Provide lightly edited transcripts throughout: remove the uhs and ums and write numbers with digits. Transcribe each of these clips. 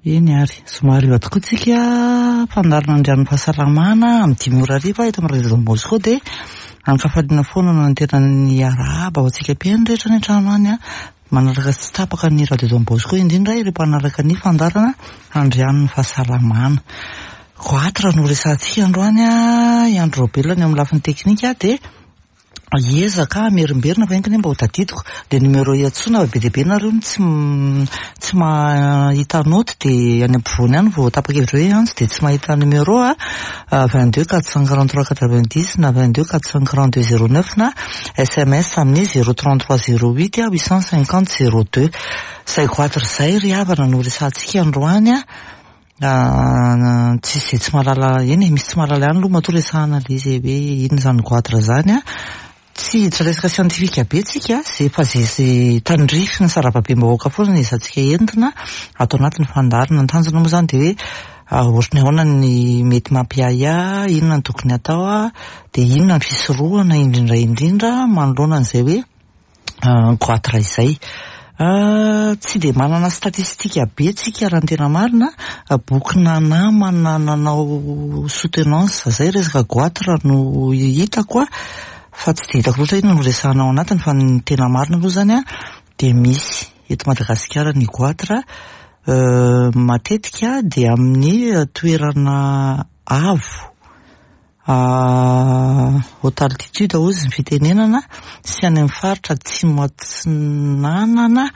Eny ary, zoma hariva tokoa tsika, fandaharana Andrian'ny fahasalamana amin'ny 5 ora hariva eto amin'ny Radio Don Bosco dia ankafaliana foana no antenan'ny arahaba ho antsika mpihaino rehetra any an-trano any manaraka tsy tapaka ny Radio Don Bosco indrindra ireo mpanaraka ny fandaharana Andrian'ny fahasalamana. Goatra no resahantsika androany, i Andry Raobelina ny eo amin'ny lafiny teknika dia hiezaka hamerimberina fa enga anie mba ho tadidiko le numéro iantsoana fa be dia be nareo no tsy tsy mahita note dia any ampovoany any vao tapa-kevitra hoe hiantso dia tsy mahita numéro a 22 443 90 na 22 442 09 na sms amin'ny 033 08 850 02. Izay goatra izay ry havana no resahantsika androany a. Tsisy izay tsy mahalala, eny e, misy tsy mahalala ihany aloha matoa resahana ilay izy hoe inona izany goatra izany an. Tsy hiditra resaka siantifika be tsika, izay efa izay izay tandrify ny sarababem-bahoaka foana no ezahantsika entina ato anatin'ny fandaharana. Ny tanjona moa izany dia hoe ohatry ny ahoana ny mety mampiahiahy, inona no tokony hatao, dia inona ny fisorohana indrindra indrindra manoloana an'izay hoe goatra izay. Tsy dia manana statistika be tsika raha ny tena marina, bokina namana nanao soutenance zay resaka goatra no hitako fa tsy dia hitako loatra inona no resahana ao anatiny fa ny tena marina aloha zany dia misy eto Madagasikara ny goatra matetika dia amin'ny toerana avo. Haute altitude hozy ny fitenenana, sy any amin'ny faritra atsimo atsinanana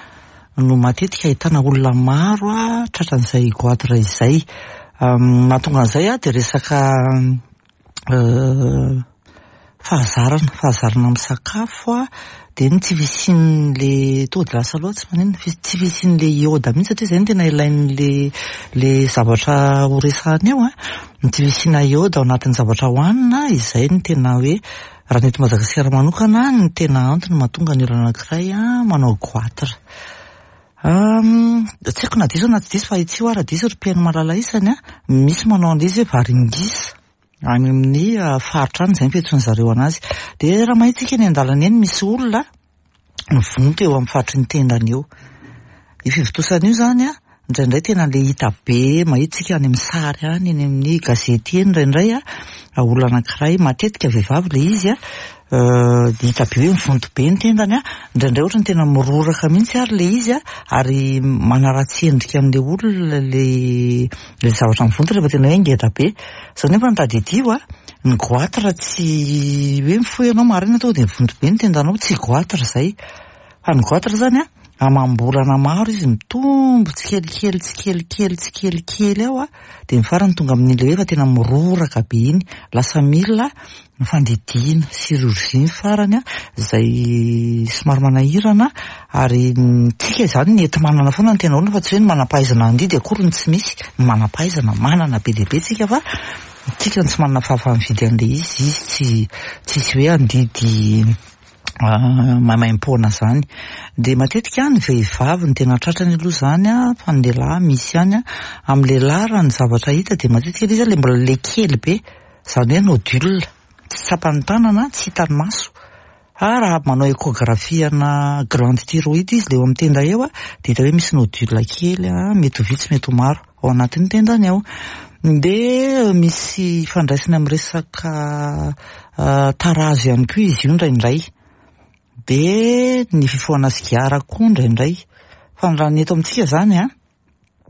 no matetika ahitana olona maro tratran'izay goitre izay. Mahatonga an'izay dia resaka fahazarana, fahazarana misakafo dia ny tsy fisian'le, tonga dia lasa loha tsy maninona, tsy fisian'le iode mihitsy satria izay no tena ilain'le le zavatra ho resahana eo an. Ny tsy fisiana iode ao anatin'ny zavatra hohanina, izay no tena hoe, raha ny eto Madagasikara manokana, ny tena antony mahatonga ny olona anankiray manao goitre. Tsy haiko na diso na tsy diso fa ahitsio aho raha diso ry mpihaino malala isany an, misy manao an'ilay izy hoe varingisa. Any amin'ny faritra any izay ny fiantsoan-dry zareo an'azy. Dia raha mahita isika eny an-dalana eny misy olona mivonto eo amin'ny faritry ny tendany eo. Io fivontosana io izany an, indraindray tena ilay hita be, mahita isika any amin'ny sary any, eny amin'ny gazety eny indraindray an, olona anankiray, matetika vehivavy ilay izy an, hita be hoe mivonto be ny tendany an, indraindray ohatran'ny tena miroraka mihitsy ary ilay izy an, ary manaratsy endrika an'ilay olona ilay Ilay zavatra mivonto rehefa tena hoe ngeda be. Izao nefa ny tadidio a, ny goitre tsy hoe mifoha ianao maraina tonga dia mivonto be ny tendanao, tsy goitre izay. Fa ny goitre izany a, amam-bolana maro izy mitombo tsikelikely tsikelikely tsikelikely ao a, dia ny farany tonga amin'ilay hoe efa tena miroraka be iny, lasa mila Ny fandidiana, chirurgie ny farany izay somary manahirana ary tsika izany ny enti-manana foana no tena olana fa tsy hoe ny manam-pahaizana handidy akory no tsy misy, ny manam-pahaizana manana be dia be tsika fa tsika no tsy manana fahafaha-mividy an'ilay izy, izy tsy tsisy hoe handidy maimaimpoana izany. Dia matetika ny vehivavy no tena tratrany aloha izany fa ny lehilahy misy ihany, amin'ny lehilahy raha ny zavatra hita dia matetika ilay izy ilay mbola ilay kely be. Izany hoe nodule, tsy tsapan'ny tanana, tsy hitan'ny maso. Fa raha manao échographie ana glande thyroïde izy ilay eo amin'ny tenda eo dia hita hoe misy nodule kely, mety ho vitsy mety ho maro ao anatin'ny tendany ao. Dia misy ifandraisany amin'ny resaka tarazo ihany koa izy io indraindray. Dia ny fifohana sigara koa indraindray. Fa raha ny eto amintsika izany an,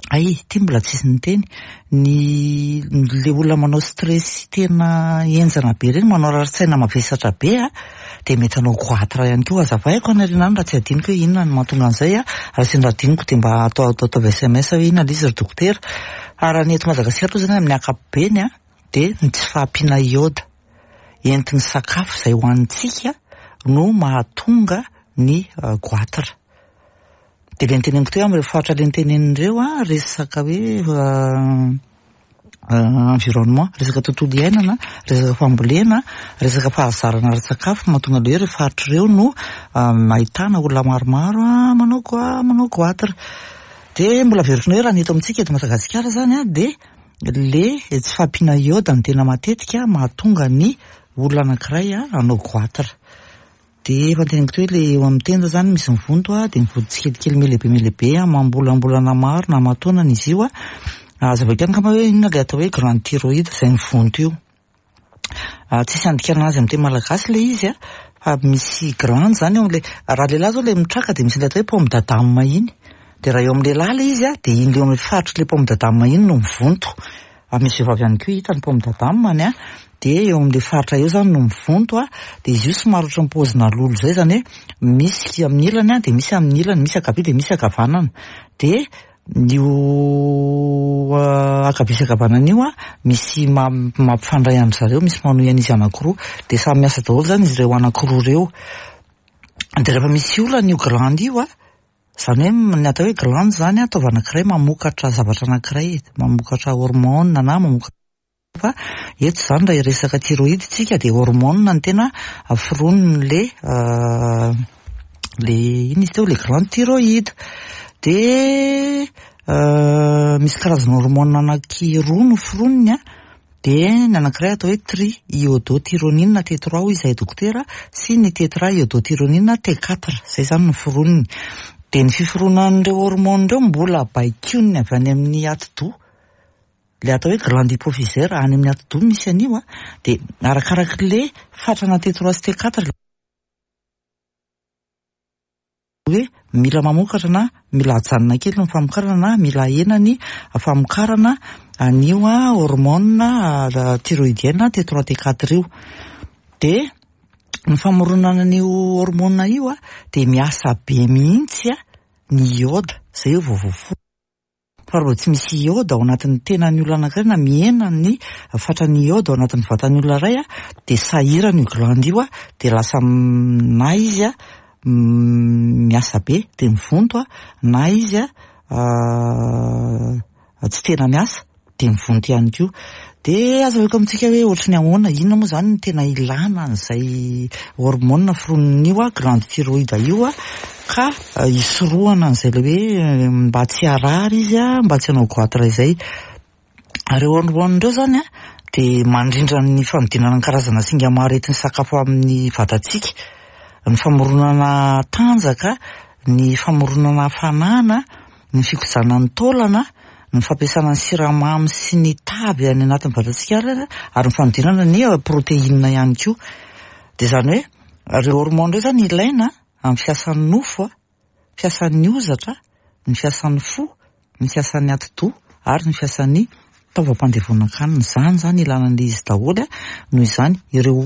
Hay, ity mbola tsisy niteny. Ny le olona manao stress tena henjana be ireny, manao rarin-tsaina mavesatra be a, dia mety hanao goitre ihany koa. Hazavaiko any aoriana any raha tsy adinoko hoe inona no mahatonga an'izay a. Raha sendra adinoko dia mba atao ataovy sms hoe inona ilay izy ry dokotera. Fa raha ny eto Madagasikara aloha izany amin'ny ankapobeny a, dia ny tsy fahampiana iode entin'ny sakafo izay hohanintsika no mahatonga ny goitre. Dia ilay noteneniko teo amin'ireo faritra ilay notenenina ireo an, resaka hoe environnement, resaka tontolo iainana, resaka fambolena, resaka fahazarana ara-tsakafo mahatonga an'ilay hoe ireo faritra ireo no ahitana olona maromaro manao goa- manao goitre. Dia mbola averiko indray raha ny eto amintsika eto Madagasikara izany an, dia ilay tsy fahampiana iode no tena matetika mahatonga ny olona anankiray hanao goitre. Dia efa noteneniko teo hoe ilay eo amin'ny tenda izany misy mivonto a, dia mivonto tsikelikely mihalehibe mihalehibe amam-bolambolana maro na aman-taonany izy io a. Hazavaiko ihany angamba hoe inona ilay atao hoe glande thyroïde izay mivonto io. Tsisy andikana azy amin'ny teny malagasy ilay izy a, fa misy glande izany eo amin'ilay, raha lehilahy izao ilay mitraka dia misy ilay atao hoe pomme d'Adam iny. Dia raha eo amin'ny lehilahy ilay izy a, dia iny ilay eo amin'ny faritr'ilay pomme d'Adam iny no mivonto. Ary misy vehivavy ihany koa hita ny pomme d'Adam-ny a, dia eo amin'ilay faritra eo izany no mivonto a, dia izy io somary ohatran'ny paozina lolo izay, izany hoe misy amin'ny ilany a, dia misy amin'ny ilany, misy ankavia dia misy ankavanana. Dia io ankavia sy ankavanana io a, misy mampifandray an-dry zareo, misy manohy an'izy anankiroa, dia samy miasa daholo izany izy ireo anankiroa ireo. Dia rehefa misy olana io glande io a, Izany hoe ny atao hoe glande izany an, taova anankiray mamokatra zavatra anankiray, mamokatra hormone na mamokatra fa eto izany raha hiresaka thyroïde tsika dia hormone no tena foronin'le le inona izy teo, le glande thyroïde. Dia misy karazana hormone anankiroa no foroniny an. Dia ny anankiray atao hoe tri-iodothyronine T3 hoy izahay dokotera sy ny tetra-iodothyronine T4, izay izany no foroniny. Dia ny fiforonan'ireo hormones ireo mbola baikoin'ny avy any amin'ny atidoha, ilay atao hoe glande hypophysaire, any amin'ny atidoha misy an'io an, dia arakarak'ilay fatrana T3 sy T4, Hoe mila mamokatra na mila ajanona kely ny famokarana na mila ahena ny famokarana an'io hormone thyroïdienne T3 T4 io. Dia ny famoronana an'io hormone io dia miasa be mihitsy ny iode, izay vao voaforona. Fa raha vao tsy misy iode ao anatin'ny tenan'ny olona anankiray na mihena ny fatran'ny iode ao anatin'ny vatan'ny olona iray dia sahirana io glande io dia lasa na izy miasa be dia mivonto na izy tsy tena miasa. dia mivonto ihany koa. Dia azahoako amintsika hoe ohatry ny ahoana, inona moa izany no tena ilana an'izay hormone foronin'io glande thyroïde io ka hisorohana an'izay ilay hoe mba tsy harary izy, mba tsy hanao goitre izay. Ireo hormone ireo izany dia mandrindra ny fanodinana ny karazana singa maro entin'ny sakafo amin'ny vatantsika, ny famoronana tanjaka, ny famoronana hafanana, ny fikojana ny taolana, ny fampiasana ny siramamy sy ny tavy any anatin'ny vatantsika ary ny fanodinana ny protéine ihany koa. Dia izany hoe ireo hormones ireo izany ilaina amin'ny fiasan'ny nofo, fiasan'ny hozatra, ny fiasan'ny fo, ny fiasan'ny atidoha ary ny fiasan'ny taovam-pandevonan-kanina. Izany izany ilana an'ilay izy daholo noho izany ireo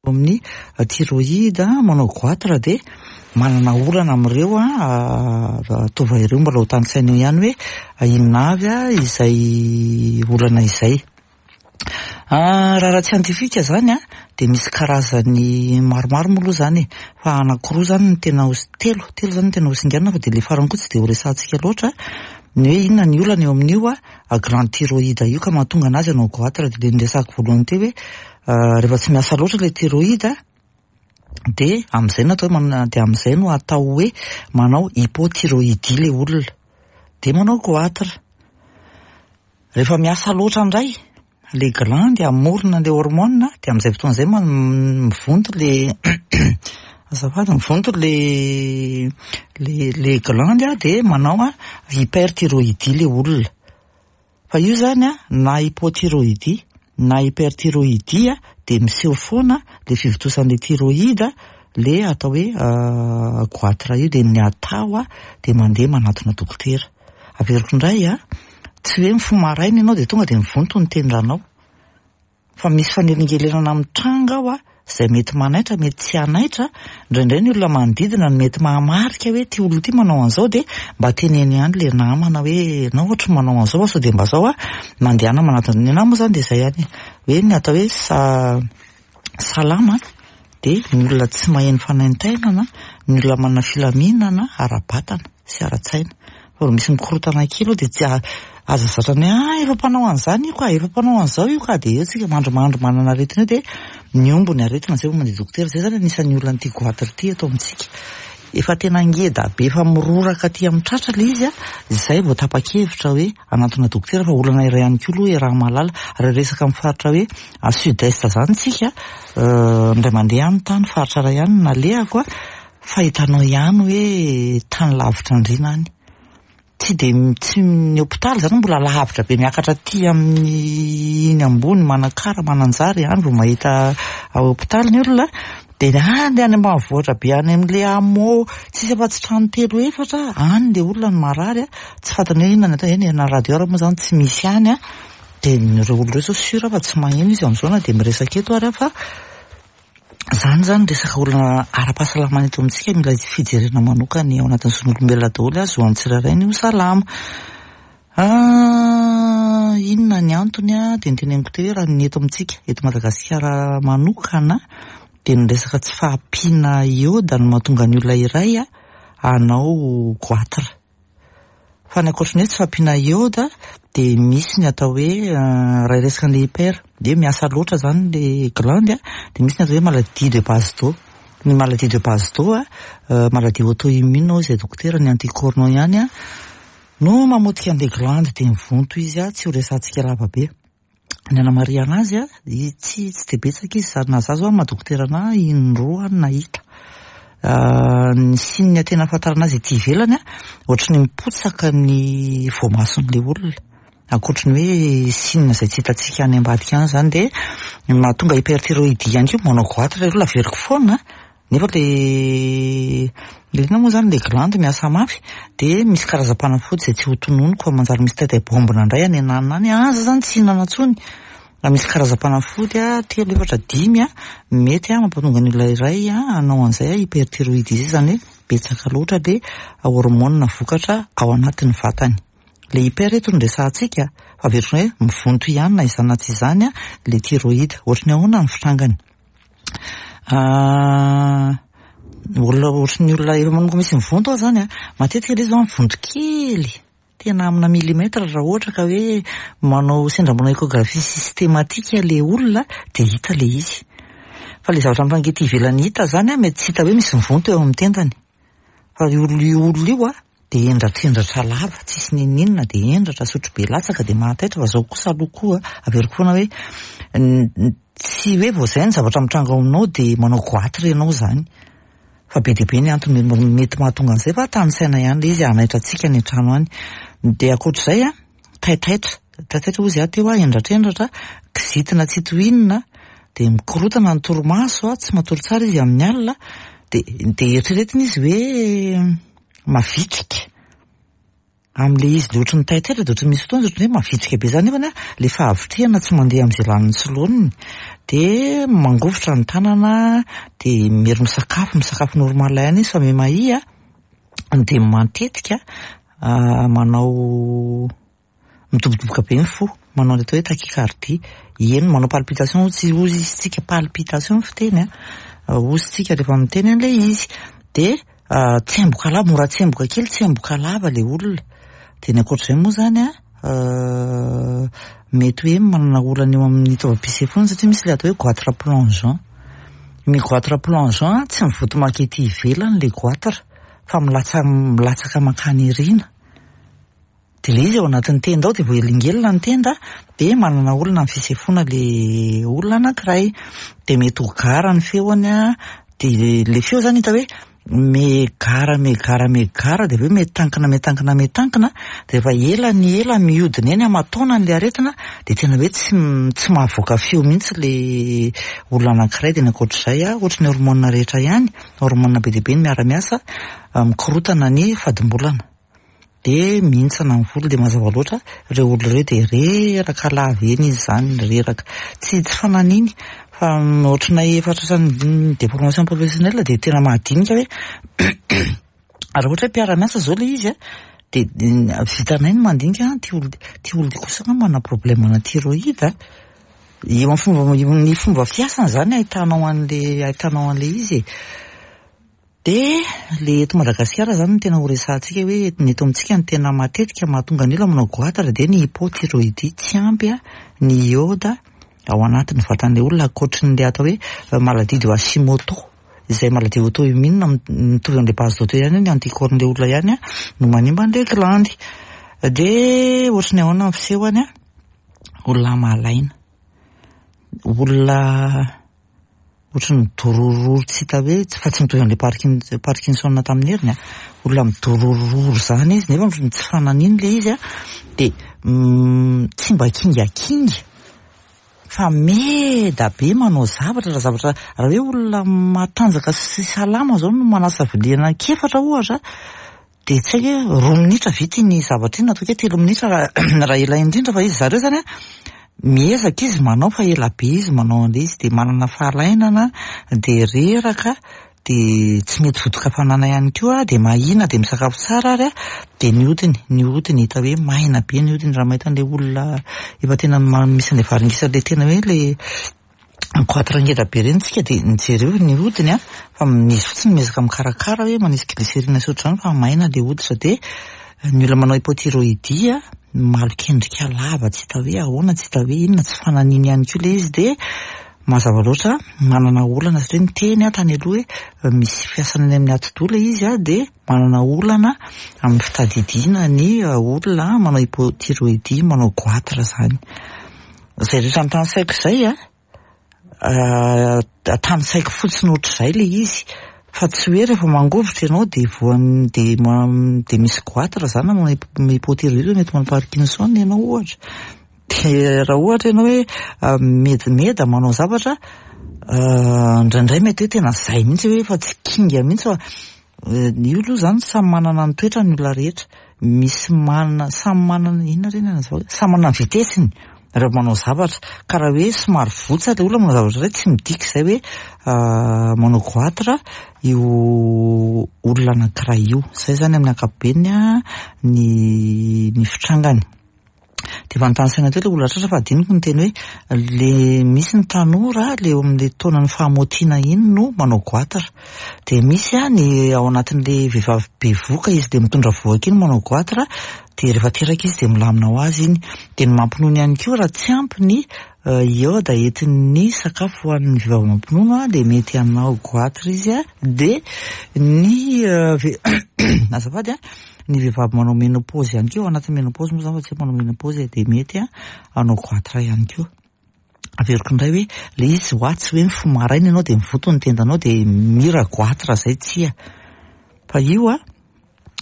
amin'ny thyroïde, manao goitre dia manana olana amin'ireo taova ireo. Mbola ho tanisaina eo ihany hoe inona avy izay olana izay. Raha ara-tsiantifika izany dia misy karazany maromaro moa aloha izany e, fa anankiroa izany no tena ho, telo, telo izany no tena ho singanina fa dia ilay farany koa tsy dia ho resahantsika loatra, ny hoe inona ny olana eo amin'io glande thyroïde io ka mahatonga an'azy hanao goitre, dia ilay niresahako voalohany teo hoe Rehefa tsy miasa loatra ilay thyroïde dia amin'izay no atao hoe dia amin'izay no atao hoe manao hypothyroïdie ilay olona. Dia manao goitre. Rehefa miasa loatra indray ilay glande hamorona an'ilay hormone dia amin'izay fotoana izay mivonto ilay azafady mivonto ilay ilay glande dia manao hyperthyroïdie ilay olona. Fa io zany an, na hypothyroïdie na hyperthyroïdie dia miseho foana le fivontosan'le thyroïde le atao hoe goitre io dia ny atao dia mandeha manatona dokotera. Averiko indray an, tsy hoe mifoha maraina ianao dia tonga dia mivonto ny tendanao. Fa misy fanelingelenana mitranga ao izay mety manaitra, mety tsy hanaitra, indraindray ny olona manodidina no mety mahamarika hoe ity olona ity manao an'izao dia mba teneno ihany ilay namana hoe ianao ohatry ny manao an'izao fa sao dia mba zao a, mandehana manatona, ny anahy moa izany dia izay ihany e, hoe ny atao hoe salama dia ny olona tsy maheno fanaintainana, ny olona manana filaminana ara-batana sy ara-tsaina. Fa vao misy mikorontana kely eo dia tsy aza zatra ny hoe ah efa mpanao an'izany io ka, efa mpanao an'izao io ka, dia eo tsika mandrimandry manana aretina eo dia mihombo ny aretina izay vao mandeha dokotera. Izay izany anisan'ny olan'ity goitre ity eto amintsika. efa tena ngeda be efa miroraka aty amin'ny tratra ilay izy a, izay vao tapa-kevitra hoe hanantona dokotera fa olana iray ihany koa aloha iaraha-mahalala. Raha resaka amin'ny faritra hoe à sud est izany tsika, indray mandeha any tany faritra iray any no nalehako a, fa hitanao ihany hoe tany lavitra andriana any. Tsy dia tsy ny hopitaly izany mbola lavitra be miakatra aty amin'ny iny ambony Manakara, Mananjary any vao mahita hopitaly ny olona. Dia any any ambanivohitra be any amin'ilay hameau tsisy afa-tsy trano telo efatra, any ilay olona no marary, tsy fantany hoe inona ny atao, eny na radio ary moa izany tsy misy any. Dia ireo olona ireo izao sûr fa tsy maheno izy amin'izao na dia miresaka eto ary aho fa Izany izany resaka olana ara-pahasalamana eto amintsika mila fijerena manokana ao anatin'ny zon'olombelona daholo azy ho an'ny tsirairay ny ho salama. Ah, inona ny antony ah, dia noteneniko teo hoe raha ny eto amintsika, eto Madagasikara manokana, dia ny resaka tsy fahampiana iode no mahatonga ny olona iray hanao goitre. Fa ny ankoatry ny hoe tsy fahampiana iode dia misy ny atao hoe raha hiresaka an'ilay hyper, dia miasa loatra izany ilay glande dia misy ny atao hoe maladie de Basedow. Ny maladie de Basedow, maladie auto-immune hoy izay dokotera, ny anticorps-nao ihany no mamotika an'ilay glande dia mivonto izy, tsy ho resahantsika lava be. Ny anamarihana azy a, tsy tsy dia betsaka izy sady na za zao amin'ny maha dokotera anah indroa aho no nahita. Ny signe tena ahafantarana azy ety ivelany a, ohatry ny mipotsaka ny voamason'ilay olona. Ankoatry ny hoe signe izay tsy hitantsika any ambadika any izany dia ny mahatonga hyperthyroïdie ihany koa, manao goitre ilay olona averiko foana. Nefa le le inona moa zany le glande miasa mafy de misy karazam-panafody izay tsy ho tononiko fa manjary misy taitay bombina indray any ananona any, aza zany tsy hihinana intsony. Raha misy karazam-panafody telo, efatra, dimy mety mampatonga ny olona iray hanao an'izay hyperthyroïdie izay, izany hoe betsaka loatra le hormone vokatra ao anatin'ny vatany. Le hyper eto no resahantsika fa averiko hoe mivonto ihany na izany na tsy izany le thyroïde. Ohatry ny ahoana ny fitrangany? Olona ohatry ny olona efa manomboka misy mivonto aho zany a, matetika ilay izy zao mivonto kely, tena amina millimètre raha ohatra ka hoe manao sendra manao échographie systématique ilay olona dia hita ilay izy. Fa ilay zavatra mitranga ety ivelany hita zany a, mety tsy hita hoe misy mivonto eo amin'ny tendany. Fa io olona io olona io a, dia hendratrendratra lava, tsisy n'inon'inona, dia hendratra, sotrobe latsaka, dia mahataitra, fa zao kosa aloha koa, averiko foana hoe, tsy hoe vao izay ny zavatra mitranga ao aminao dia manao goitre ianao izany. Fa be dia be ny antony mety mahatonga an'izay fa tanisaina ihany ilay izy hanaitra antsika any an-trano any. Dia ankoatr'izay an, taitaitra, taitaitra hozy aho teo aho, hendratrendratra, kizitina tsy tohinina, dia mikorotana ny torimaso, tsy matory tsara izy amin'ny alina, dia dia eritreretina izy hoe mavitrika amin'ilay izy, dia ohatry ny taitaitra, dia ohatry ny misy fotoana izy ohatry ny hoe mavitrika be izany nefany ilay fahavitrihana tsy mandeha amin'izay laniny sy laoniny, dia mangovitra ny tanana, dia miery misakafo, misakafo normal ihany izy fa miha-mahia, dia matetika manao midobodoboka be ny fo, manao ny atao hoe tachycardie, eny manao palpitation hozy hozy izy tsika, palpitation ny fiteny an, hozy tsika rehefa miteny an'ilay izy, dia tsemboka lava, mora tsemboka kely, tsemboka lava ilay olona, dia ny ankoatr'izay moa izany an, mety hoe manana olana eo amin'ny taovam-pisefoana satria misy ilay atao hoe goitre plongeant, ny goitre plongeant tsy mivoto maka ety ivelany ilay goitre fa milatsa milatsaka mankany aoriana. Dia ilay izy ao anatin'ny tenda ao dia voahelingelina ny tenda dia manana olana amin'ny fisefoana ilay olona anankiray. Dia mety ho gara ny feony an, dia ilay feo izany hita hoe migara migara migara dia avy eo mitankina mitankina mitankina dia rehefa ela ny ela mihodina eny aman-taonany ilay aretina dia tena hoe tsy tsy mahavoaka feo mihitsy ilay olona anankiray. Dia ny ankoatr'izay an, ohatry ny hormone rehetra ihany, hormone be dia be no miara-miasa mikorotana ny fadimbolana. Dia mihintsana ny volo dia mazava loatra ireo olona ireo dia reraka lava eny izy izany, reraka. Tsy tsy fananiny fa ohatranay efa tratran'ny déformation professionnelle dia tena mahadinika hoe raha ohatra hoe mpiara-miasa izao ilay izy an, dia vitanay ny mandinika an, ity olona ity olona ity kosa angamba manana problème ana thyroïde an. Eo amin'ny fomba ny fomba fiasany izany ahitanao an'ilay ahitanao an'ilay izy e. Dia le eto Madagasikara zany no tena ho resahantsika hoe ny eto amintsika no tena matetika mahatonga ny olona manao goitre dia ny hypothyroïdie, tsy ampy ny iode ao anatin'ny vatan'ilay olona ankoatry ny le atao hoe maladie de Hashimoto. Izay maladie auto-immune mitovy amin'ilay base d'eau teo ihany io, ny anticorps-n'ilay olona ihany no manimba an'ilay glandy. Dia ohatry ny ahoana ny fisehony an? Olona malaina, olona ohatry ny midorororo tsy hita hoe, fa tsy mitovy amin'ilay Parkin- Parkinson tamin'ny heriny an, olona midorororo izany izy nefa tsy fananiny ilay izy an, dia tsy mba kingakinga. Fa meda be manao zavatra, raha zavatra, raha hoe olona matanjaka sy salama zao no manasa vilia anankiefatra ohatra dia tsy haiko hoe roa minitra vita iny zavatra iny na ataoko hoe 3 minitra raha ela indrindra fa izy zareo zany an, miezaka izy manao fa ela be izy manao an'ilay izy dia manana fahalainana dia reraka dia tsy mety vodin-kafanana ihany koa, dia mahina, dia misakafo tsara ary dia ny hodiny, ny hodiny hita hoe maina be ny hodiny raha mahita an'ilay olona efa tena misy an'ilay varingisa ilay tena hoe ilay goitre ngeda be ireny tsika dia jereo ny hodiny an, fa izy fotsiny miezaka mikarakara hoe manisy glycérine sy ohatr'izany fa maina ilay hoditra, dia ny olona manao hypothyroïdie malok'endrika lava tsy hita hoe ahoana, tsy hita hoe inona, tsy fananiny ihany koa ilay izy dia Mazava loatra, manana olana satria niteny aho tany aloha hoe misy fiasana any amin'ny atidoha ilay izy dia manana olana amin'ny fitadidiana ny olona manao hypothyroïdie, manao goitre izany. Izay rehetra notanisaiko izay an, tanisaiko fotsiny ohatr'izay ilay izy fa tsy hoe rehefa mangovitra ianao dia voan'ny dia dia misy goitre izany na manao hypothyroïdie mety manao Parkinson ianao ohatra. Dia raha ohatra ianao hoe medimeda manao zavatra, indraindray mety hoe tena zay mihitsy hoe efa tsy kinga mihitsy fa io aloha izany samy manana ny toetrany ny olona rehetra. Misy manana, samy manana, inona re ny anazavako, samy manana ny vitesse-ny rehefa manao zavatra. Ka raha hoe somary votsa ilay olona manao zavatra iray, tsy midika izay hoe manao goitre io olona anankiray io. Izay izany amin'ny ankapobeny ny ny fitrangany. Dia efa notanisaina teo ilay olona tratra fa adinoko ny teny hoe le misy ny tanora le eo amin'ilay taonan'ny fahamotiana iny no manao goitre. Dia misy ny ao anatin'ilay vehivavy bevohoka izy dia mitondra vohoka iny manao goitre dia rehefa teraka izy dia milamina ho azy iny. Dia ny mampinono ihany koa raha tsy ampy ny iode entin'ny sakafo ho an'ny vehivavy mampinono dia mety hanao goitre izy. Dia ny azafady an. Ny vehivavy manao ménopause ihany koa, ao anatin'ny ménopause moa zany fa tsy hoe manao ménopause e, dia mety hanao goitre ihany koa. Averiko indray hoe le izy hoa tsy hoe mifoha maraina ianao dia mivoto ny tendanao dia mira goitre zay, tsia. Fa io an,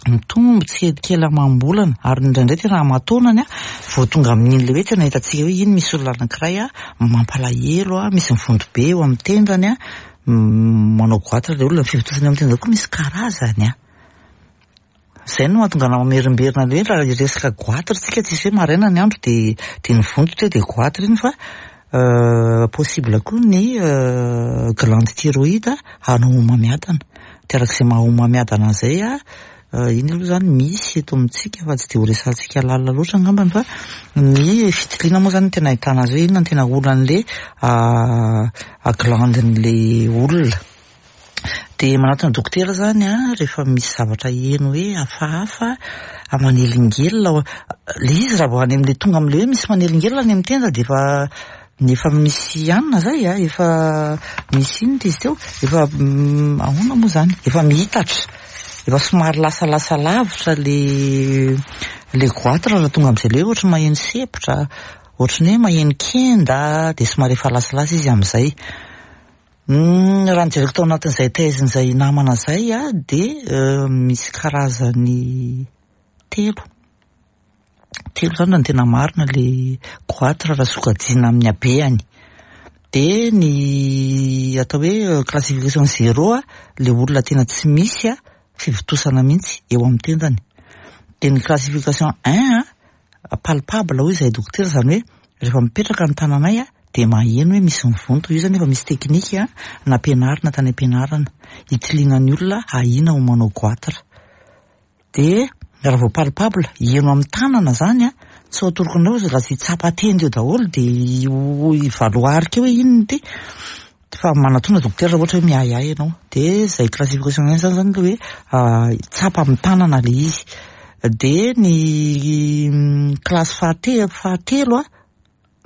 mitombo tsikelikely amam-bolana ary indraindray tena aman-taonany an, vao tonga amin'iny le hoe tena hitantsika hoe iny misy olona anankiray an, mampalahelo an, misy mivonto be eo amin'ny tendany an, manao goitre le olona, ny fivontosana eo amin'ny tenda koa misy karazany an. Izay no mahatonga anah mamerimberina le hoe raha hiresaka goitre tsika tsisy hoe maraina ny andro dia dia nivonto teo dia goitre iny fa possible koa ny glande thyroïde hanao homamiadana. Dia araka izay maha homamiadana an'izay iny aloha izany misy eto amintsika fa tsy dia ho resahantsika lalina loatra angambany fa ny fitiliana moa izany no tena ahitana azy hoe inona no tena olan'ilay glande-n'ilay olona. Dia manatona dokotera zany an, rehefa misy zavatra heno hoe hafahafa, manelingelina, ilay izy raha vao any amin'ilay tonga amin'ilay hoe misy manelingelina any amin'ny tenda dia efa efa misy anona zay an, efa misy inona izy teo, efa ahoana moa zany, efa mihitatra, efa somary lasalasa lavitra ilay ilay goitre raha tonga amin'izay ilay hoe ohatran'ny maheno sempotra, ohatran'ny hoe maheno kenda, dia somary efa lasalasa izy amin'izay. Raha ny jereko tao anatin'izay thèse-n'izay namana izay dia misy karazany telo. Telo izany raha ny tena marina ilay goitre raha sokajiana amin'ny habehany. Dia ny atao hoe classification zéro, ilay olona tena tsy misy fivontosana mihitsy eo amin'ny tendany. Dia ny classification un, palpable hoy izahay dokotera, izany hoe rehefa mipetraka ny tananay dia maheno hoe misy mivonto, io izany efa misy teknika nampianarina tany am-pianarana hitiliana ny olona ahiana ho manao goitre. Dia raha vao palpable, heno amin'ny tanana izany an, tsy ho atoroko anareo izy raha tsy hitsapa tenda eo daholo dia hivaloarika eo hoe inona ity. Fa manatona dokotera raha ohatra hoe miahiahy ianao. Dia izay classification izay zany zany ilay hoe tsapa amin'ny tanana ilay izy. Dia ny classe fahatelo an,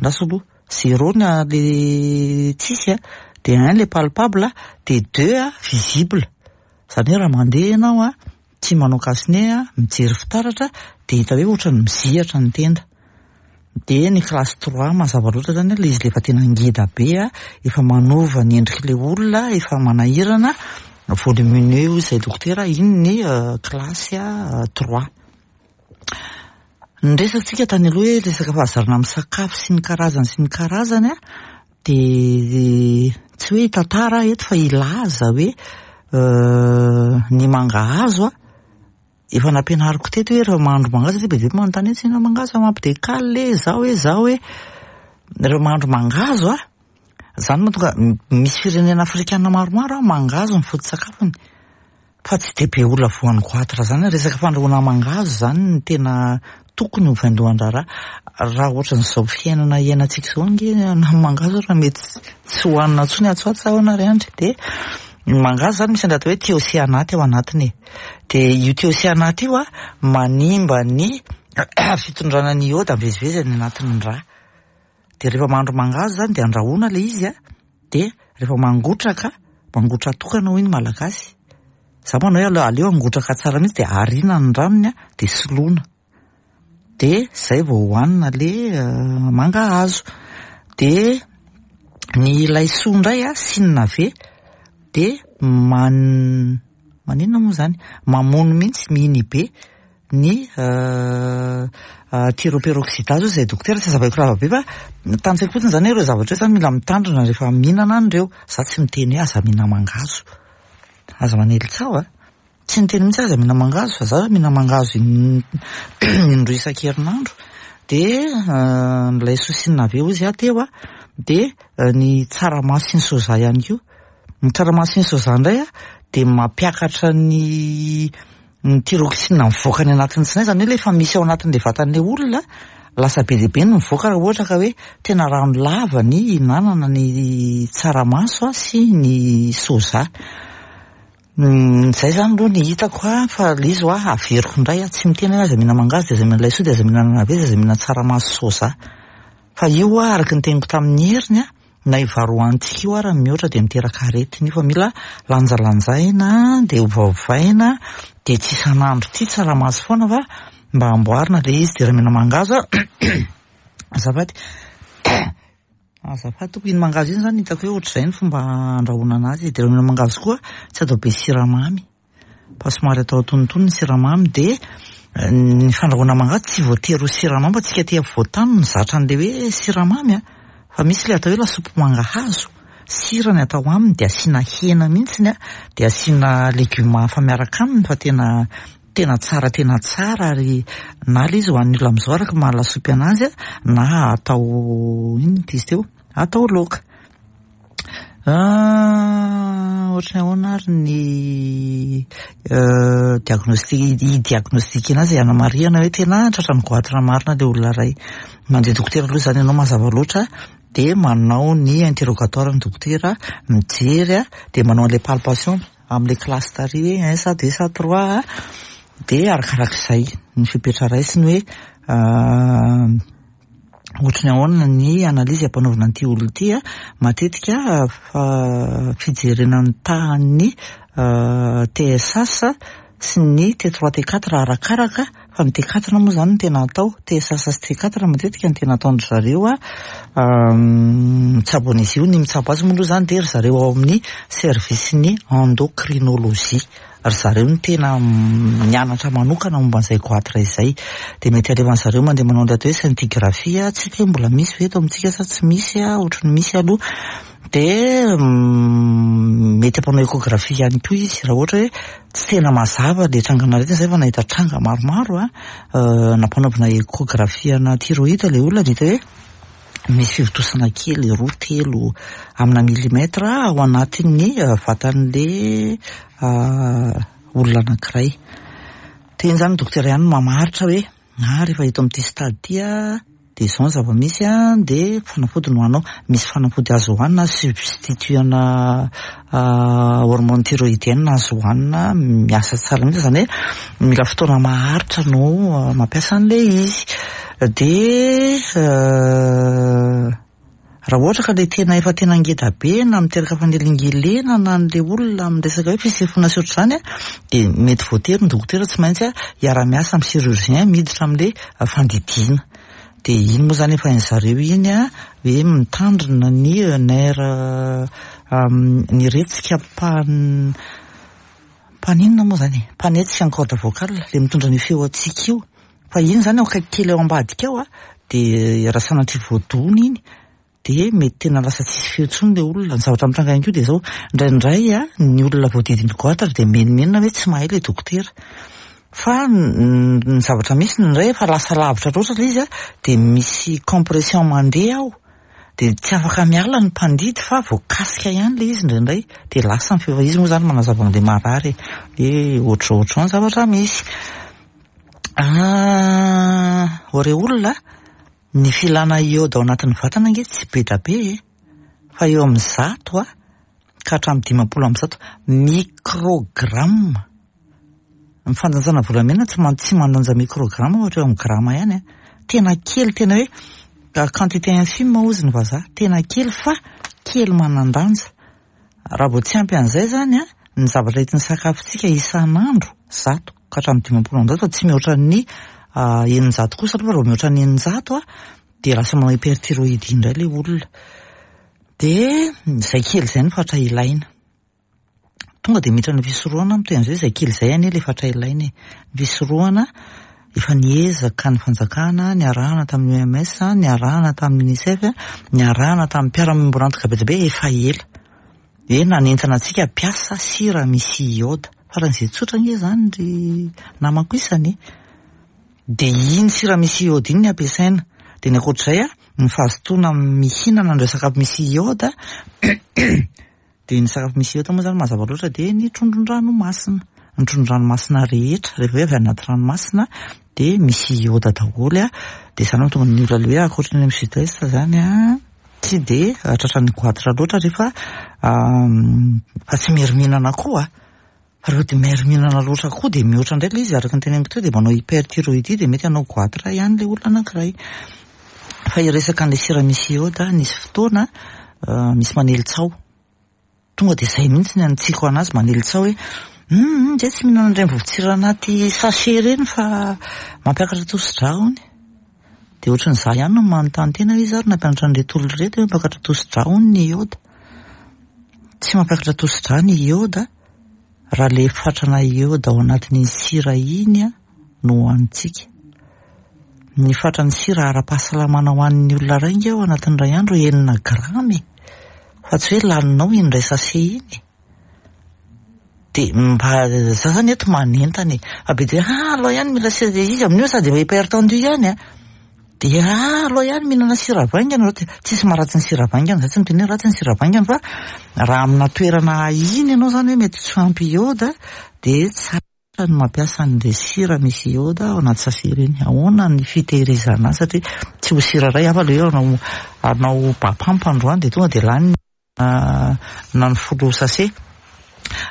lasa aloha zéro ny le tsisy an, Dia un le palpable, dia deux visible. Izany hoe raha mandeha ianao an, tsy manao cache-nez an, mijery fitaratra dia hita hoe ohatran'ny mizihatra ny tenda. Dia ny classe trois mazava loatra izany ilay izy efa tena ngeda be an, efa manova ny endrik'ilay olona, efa manahirana, volumineux hoy izay dokotera, iny ny classe trois. Ny resatsika tany aloha hoe resaka fahazarana amin'ny sakafo sy ny karazany sy ny karazany an, dia tsy hoe hitantara aho eto fa hilaza hoe ny mangahazo an, efa nampianariko teto hoe rehefa mahandro mangahazo satria be dia be manontany hoe tsy mihinana mangahazo fa mampidekaly e, zao e, zao e. Rehefa mahandro mangahazo an, zany mahatonga misy firenena afrikana maromaro an, mangahazo ny foto-tsakafony. Fa tsy dia be olona voan'ny goitre zany, resaka fandrahoana mangahazo zany no tena tokony ho vaindohan-draharaha. Raha ohatran'izao fiainana iainantsika izao ange na ny mangahazo ary mety tsy hohanina intsony atsy ho atsy ahoana ry Andry? Dia ny mangahazo zany misy an'ilay atao hoe thiocyanate ao anatiny e. Dia io thiocyanate io an, manimba ny fitondrana ny iode mivezivezy any anatin'ny rà. Dia rehefa mahandro mangahazo zany dia andrahoina ilay izy an, dia rehefa mangotraka, mangotra-tokana hoy ny Malagasy, za manao hoe aleo aleo hangotraka tsara mihitsy dia ariana ny ranony an, dia soloina. Dia zay vao hohanina le mangahazo. Dia ny laisoa indray an, sy ny navet dia man- maninona moa zany? Mamono mihitsy, mi-inhiber ny thyroperoxydase hoy izay dokotera, tsy azavaiko lava be fa tantsaiko fotsiny izany hoe ireo zavatra ireo izany mila mitandrina rehefa mihinana an'ireo, za tsy miteny hoe aza mihinana mangahazo, aza manely tsaho a, tsy niteny mihitsy aho aza mihinana mangahazo fa za mihinana mangahazo indroa isan-kerinandro, dia ny laisoa sy ny navet hozy aho teo a, dia ny tsaramaso sy ny soja ihany koa, ny tsaramaso sy ny soja indray a dia mampiakatra ny Ny thyroxine mivoaka any anatin'ny tsinay, izany hoe ilay efa misy ao anatin'ilay vatan'ilay olona, lasa be dia be no mivoaka raha ohatra ka hoe tena rano lava ny ihinanana ny tsaramaso sy ny soja. Izay izany aloha ny hitako fa ilay izy hoa averiko indray aho, tsy miteny hoe aza mihinana mangahazo dia aza mihinana laisoa dia aza mihinana navet dia aza mihinana tsaramaso sy soja. Fa io hoa araka ny teniko tamin'ny heriny an, Na io vary hohanintsika io ara mihoatra dia miteraka aretina io fa mila lanjalanjaina dia ovaovaina dia tsy isan'andro ity tsaramaso foana fa mba amboarina ilay izy dia raha mihina mangahazo azafady azafady tompoko iny mangahazo iny zany hitako hoe ohatr'izay ny fomba andrahoana anazy dia raha mihina mangahazo koa tsy atao be siramamy. Fa somary atao antonontonony ny siramamy dia ny fandrahoana mangahazo tsy voatery ho siramamy fa tsika aty afovoantany no mizatra an'ilay hoe siramamy a! Fa misy ilay atao hoe lasopy mangahazo, sira ny atao aminy dia asiana hena mihitsiny a, dia asiana legioma hafa miaraka aminy fa tena tena tsara tena tsara ary na ilay izy ho an'ny olona amin'izao araka ny maha lasopy anazy a, na atao inona ity izy teo? Atao laoka. Ohatry ny ahoana ary ny diagnostic, hi-diagnostiquer anazy hanamarihana hoe tena tratran'ny goitre marina ilay olona iray. Mandeha dokotera aloha izany ianao mazava loatra dia manao ny interrogatoire ny dokotera, mijery dia manao an'ilay palpation amin'ilay classe tary hoe un sa deux sa trois dia arakarak'izay ny fepetra raisiny hoe Ohatry ny ahoana ny analyse ampanaovina an'ity olona ity a? Matetika fijerena ny tahan'ny TSH sy ny T3 T4 arakaraka fa ny T4 moa izany no tena atao, TSH sy T4 matetika no tena ataon-dry zareo mitsabo an'izy io, ny mitsabo azy moa aloha izany dia ry zareo ao amin'ny service-n'ny endocrinologie. Ry zareo no tena nianatra manokana momba an'izay goitre izay. Dia mety alefan'ny zareo mandeha manao an'ilay atao hoe scintigraphie, tsy haiko hoe mbola misy ve eto amintsika sa tsy misy, ohatry ny misy aloha. Dia mety hampanao échographie ihany koa izy raha ohatra hoe tsy tena mazava ilay trangan'aretina, izay efa nahita tranga maromaro an, nampanaovina échographie ana thyroïde ilay olona dia hita hoe misy fivontosana kely roa telo amina millimètre ao anatin'ny vatan'le olona anankiray. Dia iny izany ny dokotera ihany no mamaritra hoe ah rehefa eto amin'ity stade ity ah dia izao ny zava-misy ah dia fanafody no hohaninao. Misy fanafody azo hohanina substitut ana hormone thyroïdienne azo hohanina miasa tsara mihitsy izany hoe mila fotoana maharitra no mampiasa an'ilay izy. Dia. Raha ohatra ka ilay tena efa tena ngeda be na miteraka fanelingelenana an'ilay olona amin'ny resaka hoe fisefoana sy ohatr'izany dia mety voatery ny dokotera tsy maintsy hiara-miasa amin'ny chirurgien miditra amin'ilay fandidiana. Dia iny moa izany efa hain-dry zareo iny hoe mitandrina ny nerf ny retsika mpan mpaninona moa izany e? Mpanetsika ny corde vocale, ilay mitondra an'io feo antsika io. Fa iny izany ao akaiky kely ao ambadika ao dia raha sanatria voadona iny dia mety tena lasa tsisy feo intsony ilay olona. Ny zavatra mitranga ihany koa dia izao, indraindray ny olona voadidin'ny goitre dia menomenona hoe tsy mahay ilay dokotera. Fa ny zavatra misy indraindray efa lasa lavitra loatra ilay izy dia misy compression mandeha ao dia tsy afaka miala ny mpandidy fa voakasika ihany ilay izy indraindray dia lasa ny feo. Fa izy moa izany manazava an'ilay marary e, hoe ohatr'izao ohatr'izao ny zavatra misy. Ho re olona, ny filana iode ao anatin'ny vatana ange tsy be da be e, fa eo amin'ny 100 ka hatramin'ny 150 microgramme. Ny fandanjana volamena tsy tsy mandanja microgramme fa hatreo amin'ny grama ihany a. Tena kely, tena hoe quantité infime hozy ny vazaha, tena kely fa kely manan-danja. Raha vao tsy ampy an'izay izany a, ny zavatra entin'ny sakafontsika isan'andro, 100 ka hatramin'ny 150 fa tsy mihoatra ny 600 kosa aloha, raha vao mihoatra ny 600 a, dia lasa manao hyperthyroïdie indray ilay olona. Dia izay kely izay no fatra ilaina. Tonga dia miditra ny fisorohana mitohy amin'izay, izay kely izay anie ilay fatra ilaina e. Ny fisorohana, efa niezaka ny fanjakana, niarahana tamin'ny OMS, niarahana tamin'ny UNICEF, niarahana tamin'ny mpiara-miombon'antoka be dia be efa ela. Hoe nanentana antsika hampiasa sira misy iode. Faran'izay tsotra ange izany ry namako isany e. Dia iny sira misy iode iny ny ampiasaina. Dia ny ankoatr'izay, ny fahazotoana mihinana an'ireo sakafo misy iode, Dia ny sakafo misy iota moa izany mazava loatra dia ny trondron-dranomasina. Ny trondron-dranomasina rehetra, rehefa hoe avy any anaty ranomasina dia misy iota daholo. Dia izany no mahatonga ny olona ilay hoe ankoatry ny any amin'ny sud est izany tsy dia tratran'ny goitre loatra rehefa fa tsy miery-mihinana koa. Fa rehefa dia miery-mihinana loatra koa dia mihoatra indray ilay izy araka ny teneniko teo dia manao hyperthyroïdie dia mety hanao goitre ihany ilay olona anankiray. Fa hiresaka an'ilay sira misy iode, nisy fotoana misy manely tsaho. Tonga dia izay mihitsy ny anitsiako anazy manely tsaho hoe hum zay tsy mihinana an'ireny vovo-tsira anaty sachet ireny fa mampiakatra tosi-drà hono. Dia ohatran'ny izaho ihany no manontany tena hoe iza ary nampianatra an'ireto olona ireto hoe mampiakatra tosi-drà hono ny iode. Tsy mampiakatra tosi-drà ny iode raha ilay fatrana iode ao anatin'iny sira iny no hohanintsika. Ny fatran'ny sira ara-pahasalamana ho an'ny olona iray ange ao anatin'ny iray andro 6 grama e! Fa tsy hoe laninao iny iray sachet iny e! Dia mba za zany eto manentana e! Fa be dia ah alao ihany mila sira, dia izy amin'io sady efa hypertendu ihany a! Dia ah alao ihany mihinana sira vaingana, tsisy maharatsy ny sira vaingana, za tsy miteny hoe ratsy ny sira vaingana fa raha amina toerana ahiana ianao zany hoe mety tsy ho ampy iode dia tsara ny mampiasa an'ilay sira misy iode ao anaty sachet ireny. Ahoana ny fitehirizana azy satria tsy ho sira iray hafa ilay hoe hanao hanao bapampa androany dia tonga dia lany na ny 10 sachet.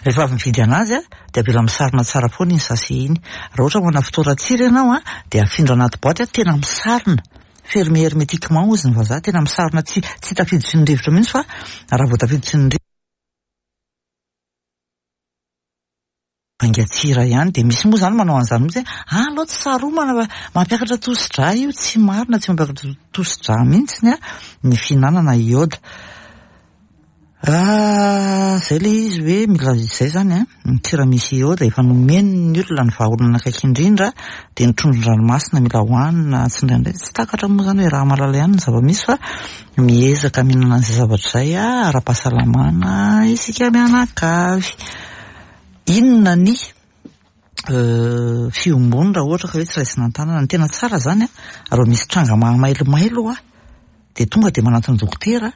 Rehefa avy mividy anazy dia avela misarona tsara foana iny sachet iny. Raha ohatra manana fitoeran-tsira ianao dia afindra anaty boaty tena misarona. Fermé hermétiquement hozy ny vazaha, tena misarona tsy tsy tafiditry ny rivotra mihitsy fa raha vao tafiditry ny rivotra Vaingan-tsira ihany dia misy moa izany manao an'izany mihitsy hoe ah aleo tsy saromana fa mampiakatra tosi-drà io, tsy marina, tsy mampiakatra tosi-drà mihitsy ny fihinanana iode. Izay ilay izy hoe mila izay izany an, ny sira misy iode efa nomeny ny olona ny vahaolana akaiky indrindra dia ny trondron-dranomasina mila hohanina tsindraindray, tsy takatra moa izany hoe raha mahalala ihany ny zava-misy fa miezaka mihinana an'izay zavatra izay ara-pahasalamana isika mianakavy. Inona ny fiombony raha ohatra ka hoe tsy raisina an-tanana? Ny tena tsara izany an, raha misy tranga mahamailomailo hoa dia tonga dia manantona dokotera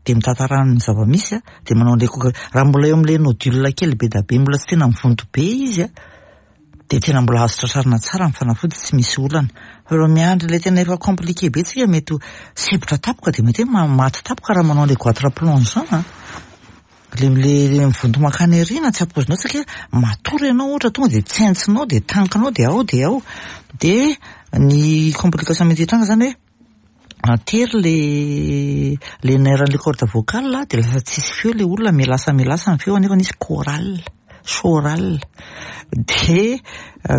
dia mitantara ny zava-misy an, dia manao an'ilay coca, raha mbola eo amin'ilay nodule kely be dia be mbola tsy tena mivonto be izy an, dia tena mbola azo tratrarina tsara ny fanafody tsy misy olana. Fa raha miandry ilay tena efa compliqué be tsika mety ho sempotra tampoka dia mety hoe maty tampoka raha manao an'ilay goitre plongeant an. Le le mivonto mankany aoriana tsy ampoizinao satria matory ianao ohatra tonga dia tsentsinao dia tankinao dia ao dia ao. Dia ny complication mety hitranga izany hoe. Tery le le nerf an'le corde vocale dia lasa tsisy feo le olona, mihalasa mihalasa ny feo nefa nisy chorale, chorale. Dia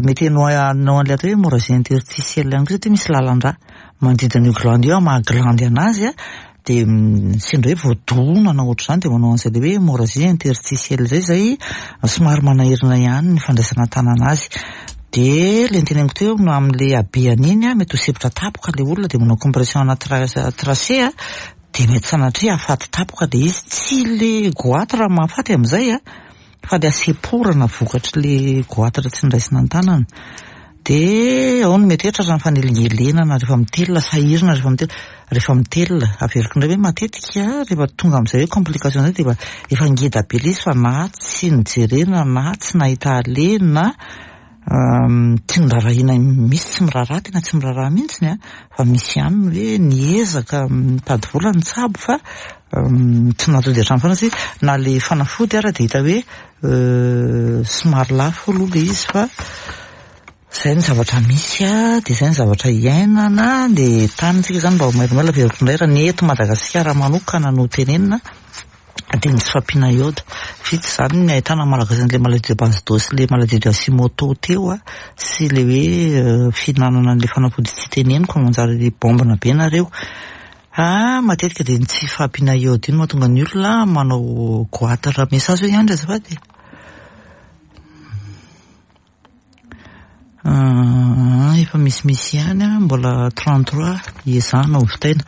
mety hanao an'ilay atao hoe hémorragie interstitielle ihany koa satria misy lalan-drà manodidina io glande io amin'ny maha glande anazy dia sendra hoe voadona na ohatr'izany dia manao an'izay le hoe hémorragie interstitielle izay, izay somary manahirana ihany ny fandraisana an-tanana azy. Dia le noteneniko teo no amin'le habehany iny mety ho sempotra tampoka le olona dia manao compression ana trachée dia mety sanatria hahafaty tampoka le izy. Tsy le goitre mahafaty amin'izay fa le hasemporana vokatry le goitre tsy niraisina an-tanana. Dia ao no mety hoe tratran'ny fanelingelenana rehefa mitelina, sahirana rehefa mitelina, rehefa mitelina. Averiko indray hoe matetika rehefa tonga amin'izay hoe complication izay dia efa ngeda be ilay izy fa na tsy nojerena na tsy nahita aleha na tsy noraharahiana, misy tsy miraharaha, tena tsy miraharaha mihitsy an, fa misy ihany ny hoe niezaka nitady vola nitsabo fa tsy nahatody hatramin'ny farany satria na ilay fanafody ara dia hita hoe somary lafo aloha ilay izy fa izay ny zavatra misy a, dia izay ny zavatra iainana, dia tanintsika izany mba ho mailomailo averiko indray raha ny eto Madagasikara manokana no tenenina dia ny tsy fahampiana iode. Vitsy izany ny ahitana malagasy an'ilay maladie de Basedow sy ilay maladie de Hashimoto teo a, sy ilay hoe fihinanana an'ilay fanafody tsy teneniko fa manjary bombina be nareo. Ah, matetika dia ny tsy fahampiana iode io no mahatonga ny olona manao goitre. Message hoe ihany azafady e. Efa misimisy ihany an, mbola 33 hiezahana ho vitaina.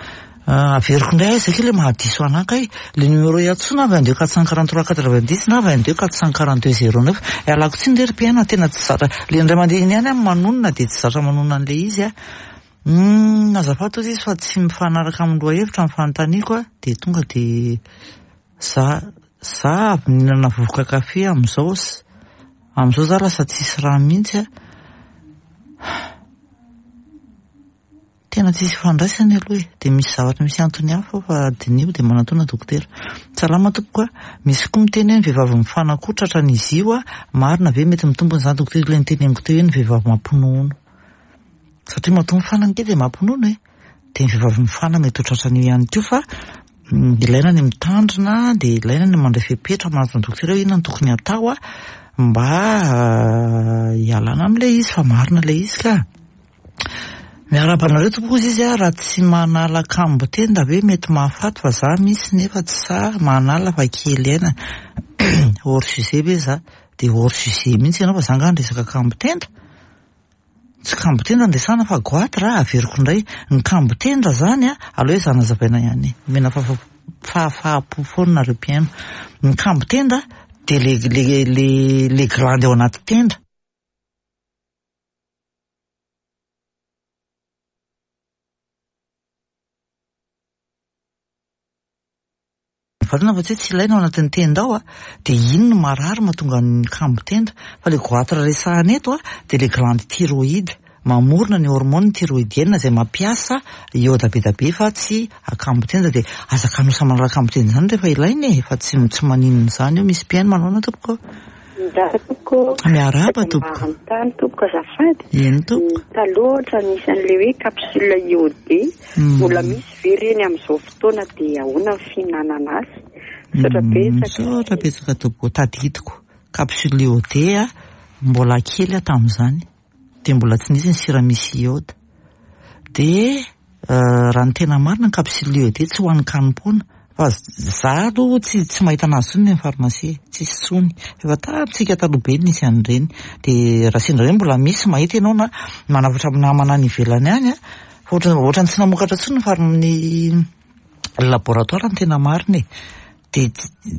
Averiko indray aiza kay ilay mahadiso anah kay, ilay numéro iantsoana 22 443 90 na 22 442 09. Ialako tsiny re ry mpihaino tena tsy zatra, ilay indray mandeha iny ihany aho manonona dia tsy zatra manonona an'ilay izy aho. Humm azafady hozy izy fa tsy mifanaraka amin'ny lohahevitra ny fanontaniako a, dia tonga dia za za avy nihinana vovoka kafe amin'izao amin'izao za lasa tsisy rà mihitsy a, tena tsisy ifandraisany aloha e, dia misy zavatra misy antony hafa ao fa diniho dia manatona dokotera. Salama tompoko a, misy koa miteny hoe ny vehivavy mifanakoa tratran'izy io a, marina ve mety mitombina izany dokotera ilay noteneniko teo hoe ny vehivavy mampinono. Satria matoa mifana ange dia mampinono e! Dia ny vehivavy mifana mety ho tratran'io ihany koa fa ilaina ny mitandrina dia ilaina ny mandray fepetra manatona dokotera hoe inona no tokony hatao mba hialana amin'ilay izy fa marina ilay izy ka. Miarahaba anareo tompoko hozy izy raha tsy manala kambo tenda ve mety mahafaty fa za misy nefa tsy sahy manala fa kely aina. Hors sujet ve za? Dia hors sujet mihitsy ianao fa za angaha niresaka kambo tenda? Tsy kambo tenda no resahana fa goitre a, averiko indray, ny kambo tenda zany a, aleo ezahana hazavaina ihany e, omena fahafahampo foana nareo mpihaino, ny kambo tenda dia le le le le glande ao anaty tenda. Marina fa tsy hoe tsy ilaina ao anatin'ny tenda ao dia iny no marary mahatonga ny kambo tenda. Fa ilay goitre resahana eto dia ilay glande thyroïde, mamorona ny hormone thyroïdienne izay mampiasa iode be dia be fa tsy kambo tenda. Dia aza kanosa manala kambo tenda izany rehefa ilaina e, fa tsy tsy maninona izany io. Misy mpihaino manaona tompoko? Miarahaba tompoko. Miarahaba tompoko. Manontany tompoko azafady. Eny tompoko. Taloha ohatra nisy an'ilay hoe capsule iodé. Mbola misy ve ireny amin'izao fotoana dia ahoana ny fihinanana azy? Misaotra betsaka. Misaotra betsaka tompoko. Tadidiko. Capsule iodé mbola kely aho tamin'izany. Dia mbola tsy nisy ny sira misy iode. Dia raha ny tena marina ny capsule iodé tsy ho an'ny kanim-poana. Fa za aloha tsy tsy mahita anazy intsony any pharmacie, tsisy intsony. Efa tamintsika taloha be no nisy an'ireny. Dia raha sendra hoe mbola misy mahita ianao na manafatra amin'ny namana any ivelany any an, fa ohatran'ny ohatran'ny tsy namokatra intsony ny pharm- ny laboratoire ny tena marina e. Dia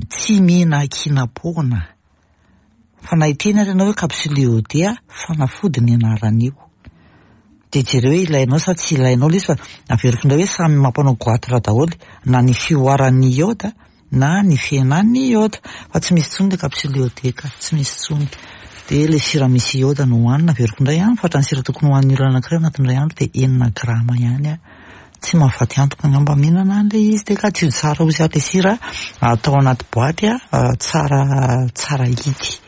tsy mihinan-kinam-poana. Fa na hiteny ary ianao hoe capsule iodé a, fanafody ny anaran'io. Dia jereo hoe ilainao sa tsy ilainao ilay izy fa averiko indray hoe samy mampanao goitre daholo na ny fihoaran'ny iode na ny fihenan'ny iode. Fa tsy misy intsony ilay capsule iodé ka, tsy misy intsony. Dia ilay sira misy iode no hohanina, averiko indray an, fa ohatran'ny sira tokony hohanin'ny olona anankiray ao anatin'ny iray andro dia enina grama ihany an. Tsy mahafaty antoka angamba mihinana an'ilay izy dia ka tsy tsara ozy aho ilay sira atao anaty boaty tsara tsara hidy.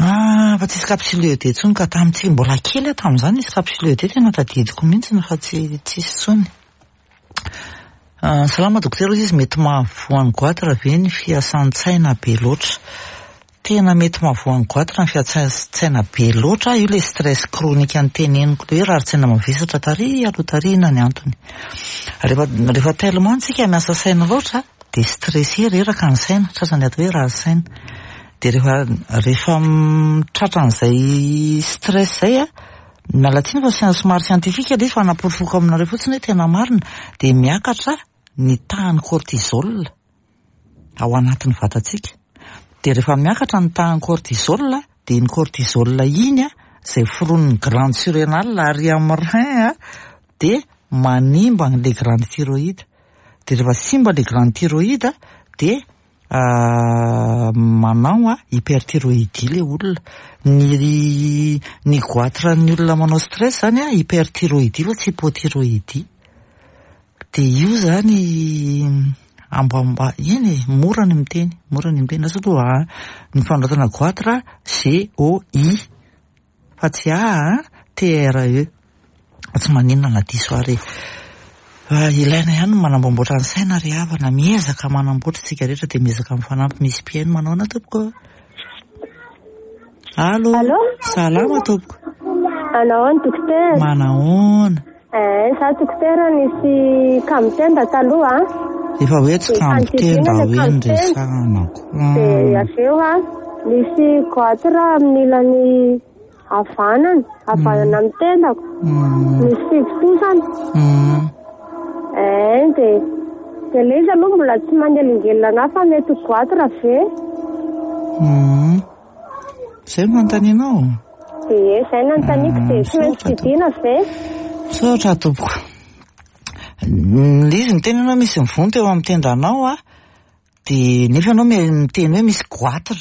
Ah, fa tsisy capsule iodé intsony ka tamin'ity mbola kely aho tamin'izany nisy capsule iodé tena tadidiko mihitsy fa tsy tsisy intsony. Salama dokotera hoy izy, mety mahavoan'ny goitre ve ny fiasan-tsaina be loatra? Tena mety mahavoan'ny goitre ny fiasan-tsaina be loatra, io ilay stress chronique noteneniko ilay hoe rarin-tsaina mavesatra tary aloha tary inona ny antony. Rehefa rehefa tellement tsika miasa saina loatra dia stressé reraka ny saina, tratran'ny atao hoe rarin-tsaina. Dia rehefa rehefa tratran'izay stress izay an, Miala tsiny fa somary scientifique ilay izy fa hanaporofoko aminareo fotsiny hoe tena marina dia miakatra ny tahan'ny cortisol ao anatin'ny vatantsika. Dia rehefa miakatra ny tahan'ny cortisol dia iny cortisol iny izay foronin'ny glande surrénale ary amin'ny rein dia manimba an'ilay glande thyroïde. Dia rehefa simba ilay glande thyroïde dia manao hyperthyroïdie ilay olona. Ny ny goitre an'ny olona manao stress zany hyperthyroïdie fa tsy hypothyroïdie. Dia io zany ambamba eny e, mora ny miteny, mora ny miteny. Lasa aloha ny fanoratana goitre G O I fa tsy A an, T R E. Fa tsy maninona na diso ary e. Fa ilaina ihany ny manamboamboatra ny saina ry havana, miezaka manamboatra isika rehetra dia miezaka mifanampy, misy mpihaino manaona tompoko? Allo? Allo? Salama tompoko. Manahoana dokotera? Manahoana? Eh, za dokotera nisy kamotenda taloha. Efa hoe tsy kamotenda hoe ny resahana ko. Dia avy eo a, nisy goitre amin'ny ilany havanana, havanana amin'ny tendako. Misy fivontosana. Eh, dia dia ilay izy aloha mbola tsy manelingelina anahy fa mety ho goitre ve? Izay no nanontanianao? Ie, izay no nanontaniako dia tsy maintsy didiana ve? Misaotra tompoko. Ilay izy miteny ianao misy mivonto eo amin'ny tendanao a, dia nefa ianao miteny hoe misy goitre.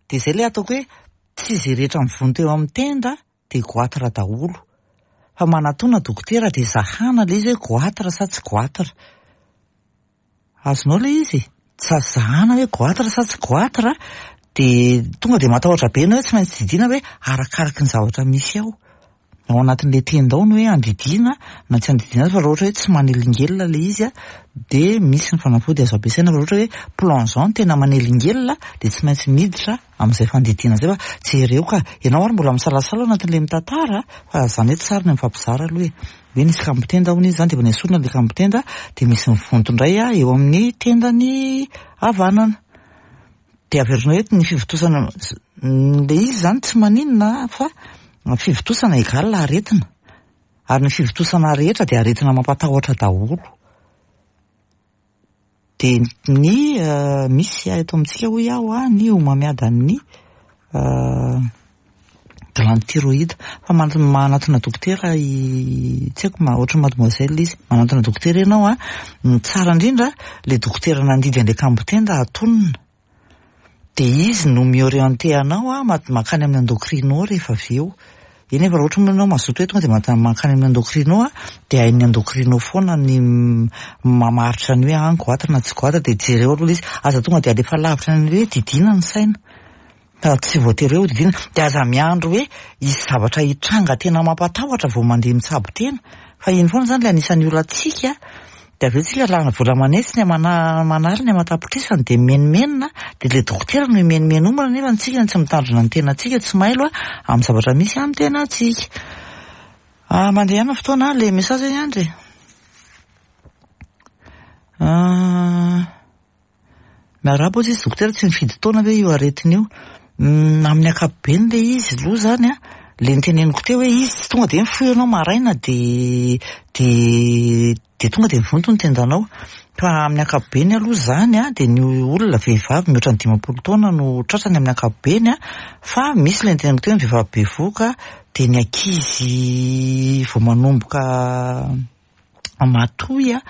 Dia izay ilay ataoko hoe tsy izay rehetra mivonto eo amin'ny tenda dia goitre daholo. Fa manatona dokotera dia zahana ilay izy hoe goitre sa tsy goitre. Azonao ilay izy? Sa zahana hoe goitre sa tsy goitre dia tonga dia matahotra be ianao hoe tsy maintsy didiana hoe arakaraky ny zavatra misy ao. Ao anatin'ilay tenda ao ny hoe andidiana na tsy andidiana azy fa raha ohatra hoe tsy manelingelina ilay izy dia misy ny fanafody azo ampiasaina fa raha ohatra hoe plongeant no tena manelingelina dia tsy maintsy miditra amin'izay fandidiana izay fa jereo ka, ianao ary mbola misalasala ao anatin'ilay mitantara fa izany hoe tsara ny mifampizara aloha e, hoe nisy kambon-tenda hono izy izany dia efa nesorina ilay kambon-tenda dia misy mivonto indray eo amin'ny tendany havanana. Dia averina eto ny fivontosana, ilay izy izany tsy maninona fa ny fivontosana égale aretina. Ary ny fivontosana rehetra dia aretina mampatahotra daholo. Dia ny misy eto amintsika hoy aho ny homamiadan'ny glande thyroïde. Fa manatona dokotera i, tsy haiko, ohatran'ny mademoiselle izy. Manatona dokotera ianao an, ny tsara indrindra, ilay dokotera nandidy an'ilay kambon-tenda atonina. Dia izy no mi-orienter anao an, mankany amin'ny endocrino rehefa avy eo. Eny fa raha ohatra moa ianao mazoto hoe tonga dia mankany amin'ny endocrino an, dia hain'ny endocrino foana ny mamaritra ny hoe an goitre na tsy goitre, dia jereo aloha ilay izy. Aza tonga dia alefa lavitra any hoe didiana ny saina. Fa tsy voatery hoe hodidiana. Dia aza miandry hoe hisy zavatra hitranga tena mampatahotra vao mandeha mitsabo tena. Fa iny foana izany ilay anisan'ny olantsika. Dia avy eo tsika lany vola aman'hetsiny aman'aliny aman-tapitrisany dia mimenomenona. Dia ilay dokotera no imenomenomana nefa tsika tsy mitandrina ny tenantsika, tsy mailo amin'ny zavatra misy amin'ny tenantsika. Ah, mandeha ihany ny fotoana, ilay message ihany Andry e. Ah. Miarahaba ozy izy dokotera, tsy mifidy taona ve io aretina io? Amin'ny ankapobeny le izy aloha zany an, le noteneniko teo hoe izy tsy tonga de mifoha ianao maraina de de de tonga de mivonto ny tendanao. Fa amin'ny ankapobeny aloha zany an, de ny olona vehivavy mihoatra ny 50 taona no tratrany amin'ny ankapobeny an, fa misy le noteneniko teo ny vehivavy bevohoka, de ny ankizy vao manomboka matoy dia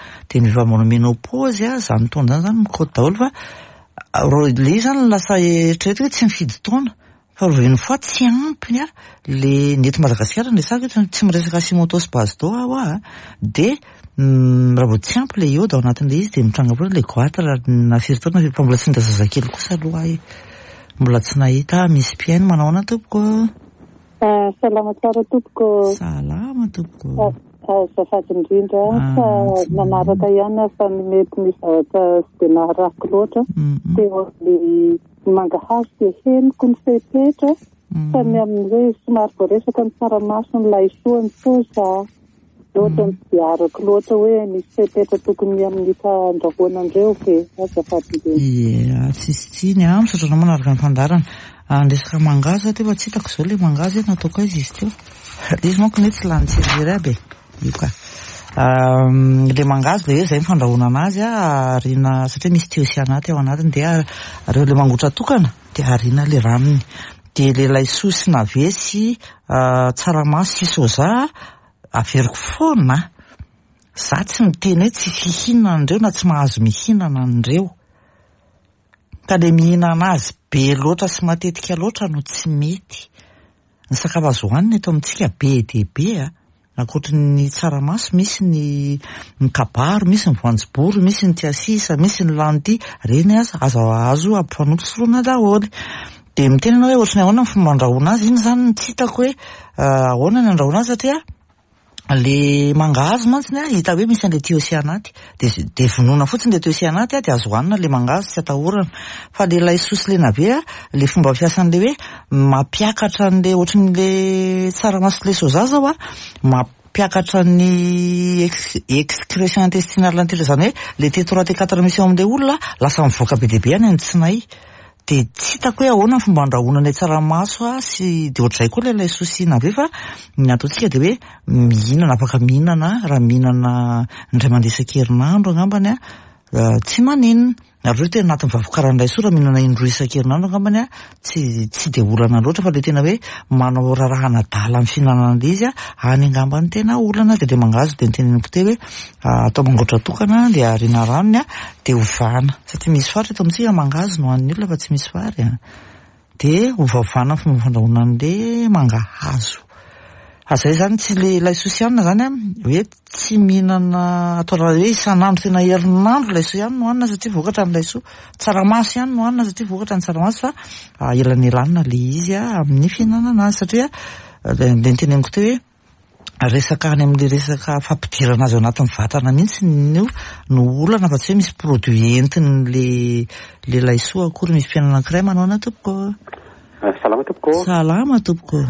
ny vehivavy manao ménopause izany taona izany zany mikaoty daholo fa le izy zany lasa eritreretina hoe tsy mifidy taona fa raha une fois tsy ampy le ny eto Madagasikara no resahako eto tsy miresaka Hashimoto sy Basedow aho a dia raha vao tsy ampy le iode ao anatin'ilay izy dia mitranga foana le goitre na firy taona na firy fa mbola tsy nahita zazakely kosa aloha aho e mbola tsy nahita misy mpihaino manao ahoana tompoko? Salama tsara tompoko. Salama tompoko. Azafady indrindra fa nanaraka ihany aho fa ny mety misy zavatra tsy dia naharako loatra. Teo amin'ny mangahazo dia henoko ny fepetra fa ny amin'ny hoe somary voaresaka ny tsaramaso ny laisoa ny soja ohatran'ny tsy dia arako loatra hoe misy fepetra tokony amin'ny fandrahoana an'ireo ve? Azafady indrindra. Ie, tsisy tsiny an, misaotra anao manaraka ny fandaharana. Ny resaka mangahazo aho teo fa tsy hitako izao ilay mangahazo hoe nataoko aiza izy teo. Ilay izy manko anie tsy lany tsiriry aby e. Io ka. Ilay mangahazo ilay hoe izay ny fandrahoana anazy an, ariana satria misy thiocyanate ao anatiny dia reo ilay mangotra tokana dia ariana ilay ranony. Dia ilay laisoa sy navet sy tsaramaso sy soja averiko foana. Za tsy miteny hoe tsy fihinana an'ireo na tsy mahazo mihinana an'ireo. Ka le mihinana azy be loatra sy matetika loatra no tsy mety. Ny sakafo azo hohanina eto amintsika be dia be a! Ankoatry ny tsaramaso misy ny ny kabaro, misy ny voanjobory, misy ny tsiasisa, misy ny lanty, ireny aza azo azo ampifanompisoroana daholo. Dia miteny ianao hoe ohatry ny ahoana ny fomba andrahoana azy, iny izany no tsy hitako hoe ahoana ny andrahoana azy satria Le mangahazo mantsy a, hita hoe misy an'le thiocyanate, de de vonoina fotsiny le thiocyanate de azo hohanina le mangahazo tsy atahorana. Fa le laisoa sy le navet a, le fomba fiasan'le hoe mampiakatra an'le ohatran'le tsaramaso sy le soja zao a, mampiakatra ny excretion intestinale an'ty zany hoe le T3 T4 misy ao amin'le olona lasa mivoaka be dia be any amin'ny tsinay. Dia tsy hitako hoe ahoana ny fomba andrahoana ilay tsaramaso sy dia ohatr'izay koa ilay laisoa sy navet fa ny ataontsika dia hoe mihinana, afaka mihinana raha mihinana indray mandeha isan-kerinandro angambany an, tsy maninona. Ary eo tena anatin'ny vavokaran'ny laisoa raha mihinana indroa isan-kerinandro angambany an, tsy tsy dia olana loatra fa ilay tena hoe manao raharahan'adala amin'ny fihinanana an'ilay izy an, any angamba no tena olana. Dia ilay mangahazo dia noteneniko teo hoe atao mangotra tokana dia ariana ranony an, dia ovana satria misy faritra eto amintsika mangahazo no hanin'ny olona fa tsy misy vary an, dia ovaovana ny fomba fandrahoana an'le mangahazo. Fa zay zany tsy le laisoa sy anona zany an, hoe tsy mihinana atao raha hoe isan'andro tena herinandro laisoa ihany no hanina satria vokatra ny laisoa, tsaramaso ihany no hanina satria vokatra ny tsaramaso fa elanelanina le izy amin'ny fihinanana azy satria le noteneniko teo hoe resaka any amin'ilay resaka fampidirana azy ao anatin'ny vatana mihitsy no no olana fa tsy hoe misy produit entin'le le laisoa akory. Misy mpihaino anankiray manao ahoana tompoko? Salama tompoko. Salama tompoko.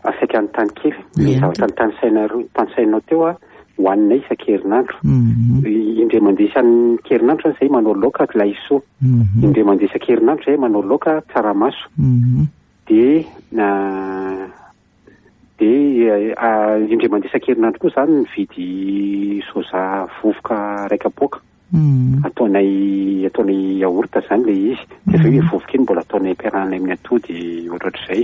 Saika hanontany kely ny zavatra notanisainareo notanisainao teo a hohaninay isan-kerinandro. Indray mandeha isan-kerinandro zany zay manao laoka laisoa. Indray mandeha isan-kerinandro zay manao laoka tsaramaso. Dia Dia indray mandeha isan-kerinandro koa izany mividy soja vovoka iray kapoaka. Ataonay ataonay yaourt izany ilay izy. Dia avy eo iny vovoka iny mbola ataonay ampiarahana amin'ny atody ohatrohatr'izay.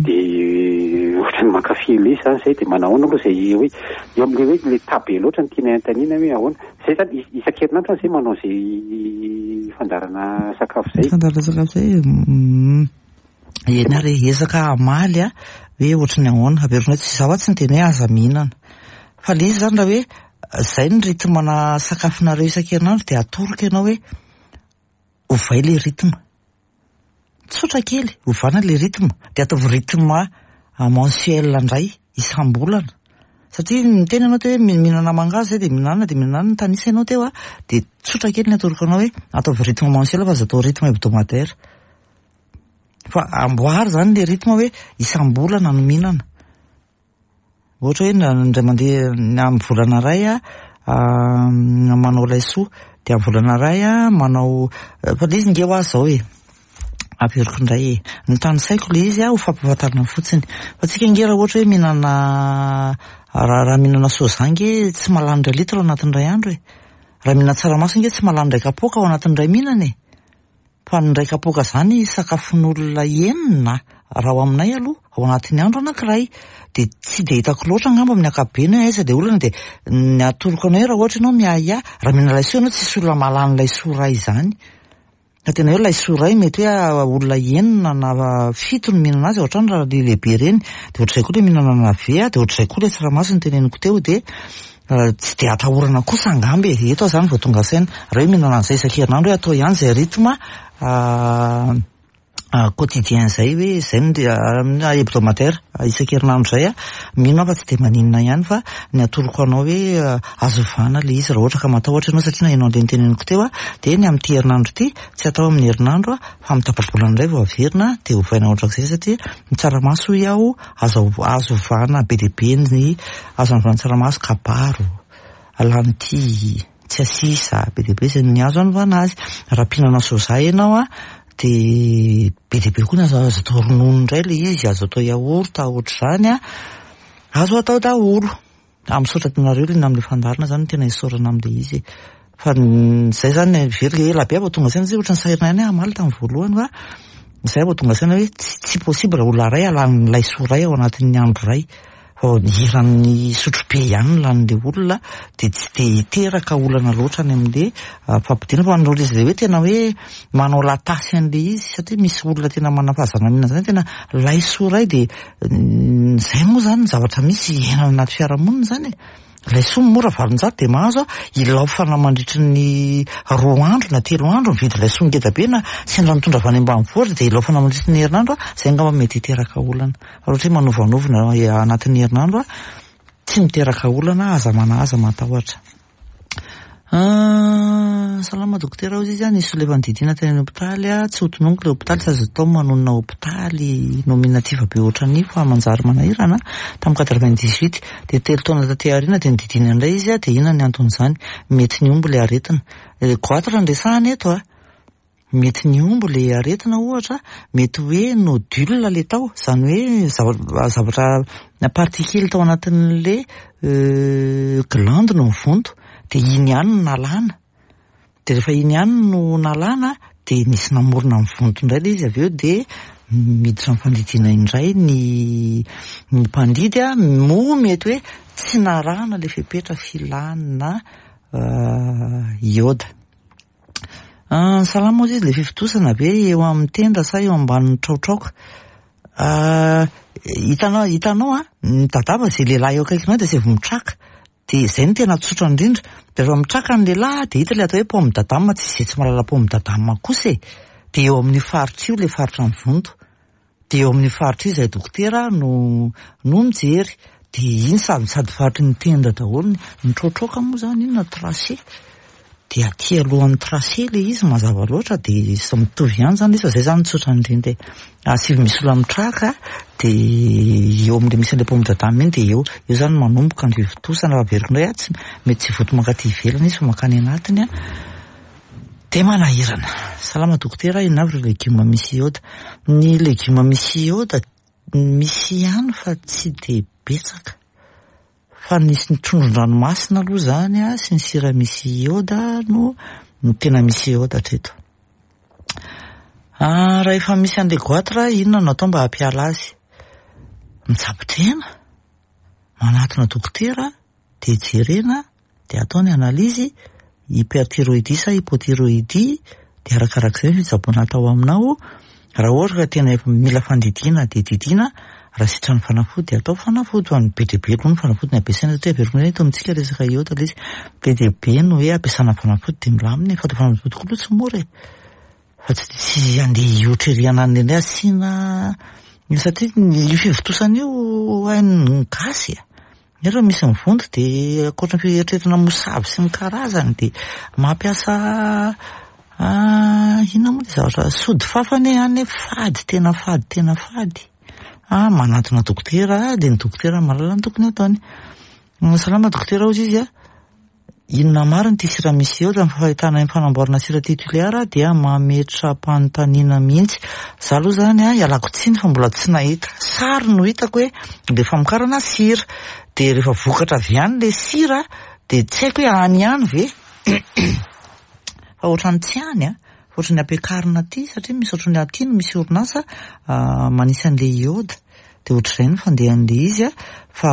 Dia ohatran'ny mankafy ilay izy izany izay. Dia manahoana aloha izay hoe eo amin'ilay hoe ilay taha be loatra no tianay anontaniana hoe ahoana. Izay izany isan-kerinandro izany izay manao izay fandaharana sakafo izay. Fandaharana sakafo izay. Eny ary e, ezaka hamaly a, hoe ohatry ny ahoana, averina hoe tsy izaho aho tsy niteny hoe aza mihinana, fa le izy zany raha hoe zay ny rythme-na sakafonareo isan-kerinandro dia atoroko ianao hoe ovay le rythme, tsotra kely, ovana le rythme, dia ataovy rythme mensuel indray isam-bolana, satria niteny ianao teo hoe mihinana mangahazo zay dia mihinana dia mihinana, nitanisa ianao teo a, dia tsotra kely ny atoroko anao hoe ataovy rythme mensuel fa aza atao rythme hebdomadaire. Fa amboary zany le rythme hoe isam-bolana no mihinana. Ohatra hoe indray mandeha amin'ny volana iray aho manao laisoa, dia amin'ny volana iray aho manao, fa le izy nge hoa zao e, averiko indray e, ny tanisaiko le izy ho fampahafantarana fotsiny, fa tsika nge raha ohatra hoe mihinana, raha mihinana soja nge tsy mahalany iray litre ao anatin'ny iray andro e, raha mihinana tsaramaso nge tsy mahalany iray kapoaka ao anatin'ny iray mihinana e. Fa ny iray kapoaka izany sakafon'olona enina raha ao aminay aloha, ao anatin'ny andro anankiray. Dia tsy dia hitako loatra angamba amin'ny ankapobeny hoe aiza ilay olana dia ny atoroko anao hoe raha ohatra ianao miahiahy, raha mihinana laisoa ianao tsisy olona mahalany laisoa iray izany. Fa tena hoe laisoa iray mety hoe olona enina na fito no mihinana azy ao an-trano raha ilay lehibe ireny. Dia ohatr'izay koa ilay mihinana navet, dia ohatr'izay koa ilay tsaramaso noteneniko teo dia Tsy dia atahorana kosa angamba e! Eto aho izany vao tonga saina. Raha hoe mihinana an'izay isan-kerinandro hoe atao ihany izay rythme quotidien izay hoe izay no hebdomadaire isan-kerinandro izay a, mino aho fa tsy dia maninona ihany fa ny atoroko anao hoe azo ovana ilay izy raha ohatra ka matahotra ianao satria naheno an'ilay noteneniko teo a, dia ny amin'ity herinandro ity tsy atao amin'ny herinandro a, fa amin'ny tapa-bolana indray vao averina dia ovaina ohatrak'izay satria ny tsaramaso hoy aho azo azo ovana be dia be ny azo anovana tsaramaso kabaro, lentille, tsiasisa, be dia be izay ny azo anovana azy. Raha mpihinana soja ianao a, dia be dia be koa ny azo azo atao ronono indray ilay izy, azo atao yaourt ohatr'izany a, azo atao daholo. Ah, misaotra anareo liana amin'ilay fandaharana izany no tena isaorana amin'ilay izy e. Fa izay izany heveriko ela be aho vao tonga saina satria ohatran'ny sahirana ihany aho hamaly tamin'ny voalohany fa izay vao tonga saina hoe tsy tsy possible olona iray halan'ny laisoa iray ao anatin'ny andro iray. Fa ny eran'ny sotrobe ihany no lanin'ilay olona dia tsy dia hiteraka olana loatra any amin'ilay fampodiana fa ny izy ilay hoe tena hoe manao latasy an'ilay izy satria misy olona tena manana fahazarana mihinana izany tena laisoa iray dia izay moa izany ny zavatra misy iainana anaty fiarahamonina izany e. Laisoa mora 800 dia mahazo ilaofana mandritry ny 2 andro na 3 andro mividy laisoa ngeda be na sendra mitondra avy any ambanivohitra dia ilaofana mandritry ny herinandro, izay angamba mety hiteraka olana. Fa raha ohatra hoe manovanovana anatin'ny herinandro, tsy miteraka olana, aza manahy, aza matahotra. Salama dokotera, hoy izy, nisy olona efa nodidiana teny amin'ny hopitaly, tsy ho tononiko ilay hopitaly, tsy azo atao manonona hopitaly nominatif be ohatran'io fa manjary manahirana. Tamin'ny 98, dia 3 taona taty aoriana dia nodidiana indray izy, dia inona ny anton'izany? Mety nihombo ilay aretina. Goitre no resahana eto a. Mety nihombo ilay aretina ohatra, mety hoe nodule ilay tao, izany hoe zavatra particule tao anatin'ilay glande no nivonto, dia iny ihany no nalana. Dia rehefa iny ihany no nalana, dia nisy namorona nivonto indray ilay izy avy eo, dia miditra amin'ny fandidiana indray ny ny mpandidy, moa mety hoe tsy narahana ilay fepetra filana iode. Salama ozy izy, ilay fifontosana ve eo amin'ny tenda sa eo ambanin'ny traotraoka? Hitanao, hitanao an, mitadava izay lehilahy eo akaikinao dia asaivo mitraka. Dia izay no tena tsotra indrindra. Dia rehefa mitraka ny lehilahy dia hita ilay atao hoe pomme d'Adam, tsy izay tsy mahalala pomme d'Adam kosa e. Dia eo amin'io faritra io ilay faritra mivonto. Dia eo amin'io faritra io izahay dokotera no no mijery. Dia iny sady sady faritry ny tenda daholo, ny mitraotraoka moa izany inona tracé. Dia aty alohan'ny tracé ilay izy mazava loatra dia samy mitovy ihany izany izy fa izay izany no tsotra indrindra e. Asivy misy olona mitraka dia eo amin'ilay misy an'ilay pomme d'Adam iny dia eo, eo izany no manomboka ny fivontosana raha averiko indray aho tsy mety tsy vonto mankaty ivelany izy fa mankany anatiny an. Dia manahirana. Salama dokotera, inona avy ireo legioma misy iode? Ny legioma misy iode misy ihany fa tsy dia betsaka. Fa ny trondron-dranomasina aloha izany sy ny sira misy iode no tena misy iode hatreto. Raha efa misy an'ilay goitre, inona no atao mba hampiala azy? Mitsabo tena, manatona dokotera, dia jerena, dia atao ny analyse, hyperthyroïdie sa hypothyroïdie, dia arakarak'izay ny fitsaboana atao aminao, raha ohatra ka tena efa mila fandidiana dia didiana, raha sitran'ny fanafody dia atao fanafody, fa ny be dia be aloha ny fanafody ny ampiasaina satria averiko indray eto amintsika resaka iode ilay izy, be dia be no hoe ampiasana fanafody dia milamina e, fa ilay fanafody koa aloha tsy mora e, fa tsy tsy handeha hihoatra ery ananona indray asiana, satria io fivontosana io hain'ny gasy e. Nefa misy mivonto dia ankoatra ny fieritreretana mosavy sy ny karazany dia mampiasa inona moa ilay zavatra sody fafa anie any fady tena fady tena fady. Ah, manantona dokotera dia ny dokotera mahalala ny tokony hataony. Salama dokotera hozy izy a. Inona marina ity sira misy eo? Raha ny fahitana ny fanamboarana sira aty Tuléar dia mametra-panontaniana mihitsy. Za aloha izany a, ialako tsiny fa mbola tsy nahita. Sary no hitako hoe ilay famokarana sira. Dia rehefa vokatra avy any ilay sira dia tsy haiko hoe any ihany ve? Fa ohatran'ny tsy any a. Fa ohatran'ny ampiakarina aty satria misy ohatran'ny aty no misy orinasa manisy an'ilay iode. Dia ohatr'izay ny fandehan'ilay izy a, fa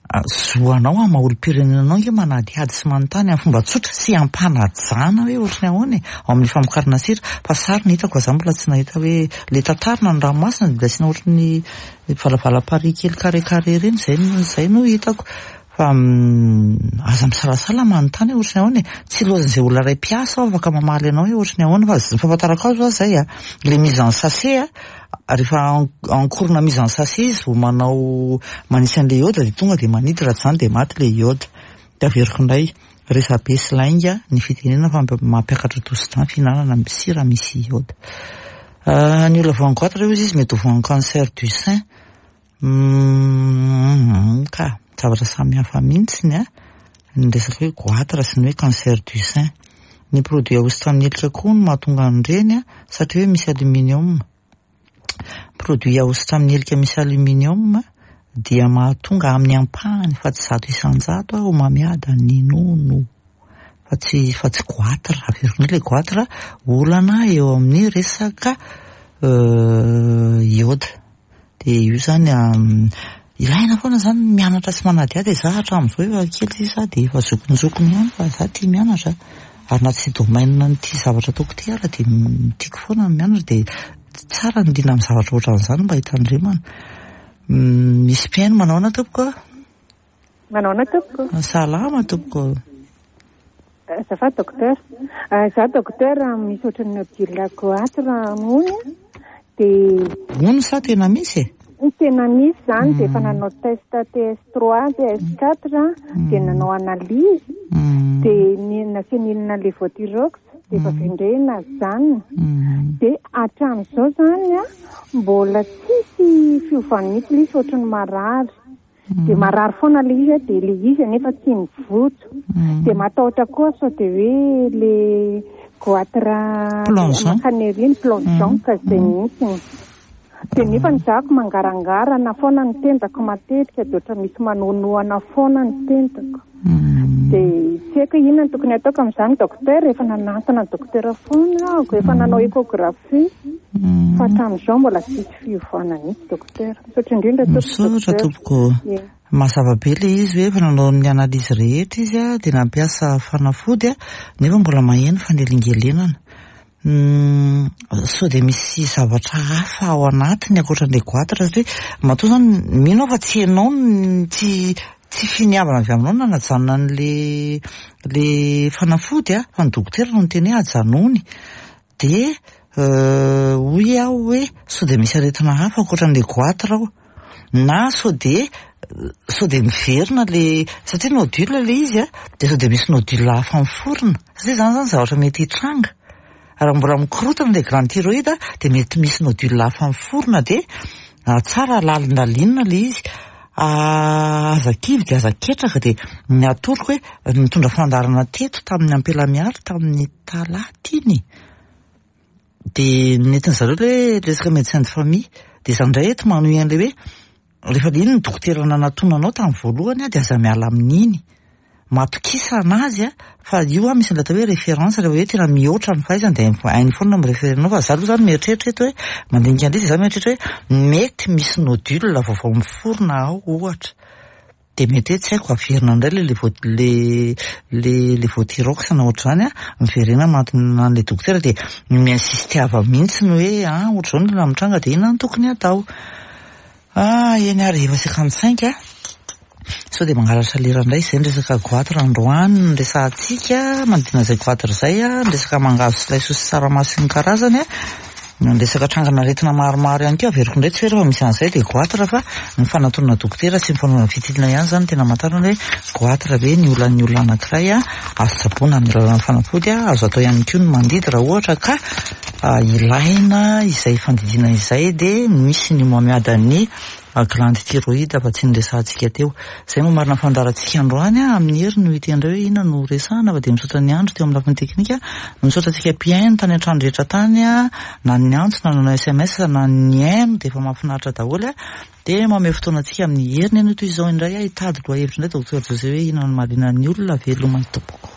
zo anao amin'ny maha olom-pirenena anao ange manadihady sy manontany amin'ny fomba tsotra sy am-panajana hoe ohatry ny ahoana e, ao amin'ny famokarana sira, fa sary no hitako fa za mbola tsy nahita hoe ilay tantarina ny ranomasina dia asiana ohatry ny valavala-parihy kely carré carré ireny, izay no izay no hitako. Fa aza misalasala manontany hoe ohatry ny ahoana e. Tsy ilaozan'izay olona iray mpiasa aho afaka mamaly anao hoe ohatry ny ahoana fa ny fahafantarako azy hoa izay a, ilay mise en sachet a, rehefa en cours na mise en sachet izy vao manao manisy an'ilay iode dia tonga dia manidy raha tsy izany dia maty ilay iode. Dia averiko indray, resabe sy lainga ny fitenenana fa mampiakatra tosi-drà ny fihinanana sira misy iode. Ny olona voan'ny goitre hozy izy mety ho voan'ny cancer du sein. Humm ka, zavatra samy hafa mihitsy ny ny resaka hoe goitre sy ny hoe cancer du sein. Ny produit ahosotra amin'ny helika koa no mahatonga an'ireny satria hoe misy aluminium. Produit ahosotra amin'ny helika misy aluminium dia mahatonga amin'ny ampahany fa tsy 100% homamiada ny nono fa tsy fa tsy goitre. Averiko indray ilay goitre olana eo amin'ny resaka iode. Dia io izany ilaina foana izany ny mianatra sy manadihady e, za hatramin'izao efa kely sisa dia efa zokinjokiny ihany fa za tia mianatra ary na tsy domaine an'ity zavatra ataoko ity ara dia tiako foana ny mianatra dia tsara ny liana amin'ny zavatra ohatran'izany mba hitandremana. Misy mpihaino manao ahoana tompoko? Manahoana tompoko? Salama tompoko. Azafady docteur. Za docteur misy ohatran'ny nodule goitre hono dia. Hono sa tena misy e? Tena misy zany dia efa nanao test TS3, TS4 dia nanao analyse dia nasiana inona levothyrox dia efa avy eo indray najanona dia hatramin'izao zany mbola tsisy fiovany mihitsy ilay izy fa ohatran'ny marary. Dia marary foana ilay izy dia ilay izy anefa tsy mivotso. Dia matahotra koa sao dia hoe le goitre mankany ery iny, plongeon ka izay mihitsy. Dia nefa ny zako mangarangarana foana ny tendako matetika dia ohatra misy manohanohana foana ny tendako. Dia tsy haiko hoe inona no tokony hataoko amin'izany docteur, efa nanantona ny docteur foana aho, efa nanao échographie fa hatramin'izao mbola tsisy fiovana mihitsy docteur. Misaotra indrindra tompoko Misaotra tompoko. Mazava be ilay izy hoe efa nanao ny analyse rehetra izy dia nampiasa fanafody nefa mbola maheno fanelingelenana. Sao dia misy zavatra hafa ao anatiny ankoatran'ilay goitre satria matoa izany mino aho fa tsy ianao no tsy tsy finiavana avy aminao no nanajanona an'ilay ilay fanafody fa ny dokotera no niteny hoe ajanony. Dia hoy aho hoe sao dia misy aretina hafa ankoatran'ilay goitre ao na sao dia sao dia miverina ilay satria nodule ilay izy a, dia sao dia misy nodule hafa miforona satria izany izany zavatra mety hitranga. Raha mbola mikorotana ilay glande thyroïde dia mety misy nodule hafa miforona dia tsara lalindalinina ilay izy. Aza kivy dia aza ketraka dia ny atoroko hoe nitondra fandaharana teto tamin'ny Ampela Mialy tamin'ny talata iny dia nentin-dry zareo ilay resaka médecin de famille dia izaho indray eto manohy an'ilay hoe rehefa iny ny dokotera nanatona anao tamin'ny voalohany dia aza miala amin'iny. Matokisa anazy fa io misy an'ilay atao hoe référence rehefa hoe tena mihoatra ny fahaizany dia hainy foana ny mi-référer anao fa za aloha zany mieritreritra eto hoe mandinika an'ilay izy za mieritreritra hoe mety misy nodule vaovao miforona ao ohatra dia mety hoe tsy haiko averina indray ilay levo le le levothyrox na ohatr'izany an, miverena manatona an'ilay dokotera dia mi-insistiava mihitsy ny hoe an ohatr'izao ny olona mitranga dia inona no tokony hatao. Ah, eny ary efa 55 a. Sao dia mangalatra lera indray izay ny resaka goitre androany no resahantsika, manodidina izay goitre izay a, ny resaka mangahazo sy laisoa sy tsaramaso sy ny karazany a, ny resaka trangana aretina maromaro ihany koa, averiko indray tsy hoe rehefa misy an'izay dia goitre fa ny fanatonana dokotera sy ny fanaovana fitiliana ihany izany no tena amantarana hoe goitre ve ny olan'ny olona anankiray a, azo tsaboina amin'ny alalan'ny fanafody a, azo atao ihany koa ny mandidy raha ohatra ka Ilaina izay fandidiana izay dia misy ny homamiadan'ny glande thyroïde fa tsy niresahantsika teo. Izay no marina fandaharantsika androany amin'ny hery no hiteny indray hoe inona no resahana fa dia misaotra ny andro teo amin'ny lafiny teknika, misaotra antsika mpihaino tany an-trano rehetra tany na ny niantso na nanao sms na ny nihaino dia efa mahafinaritra daholo dia mamehy fotoana antsika amin'ny heriny anio toy izao indray hitady lohahevitra indray Docteur José hoe inona no mahaliana ny olona veloma tompoko.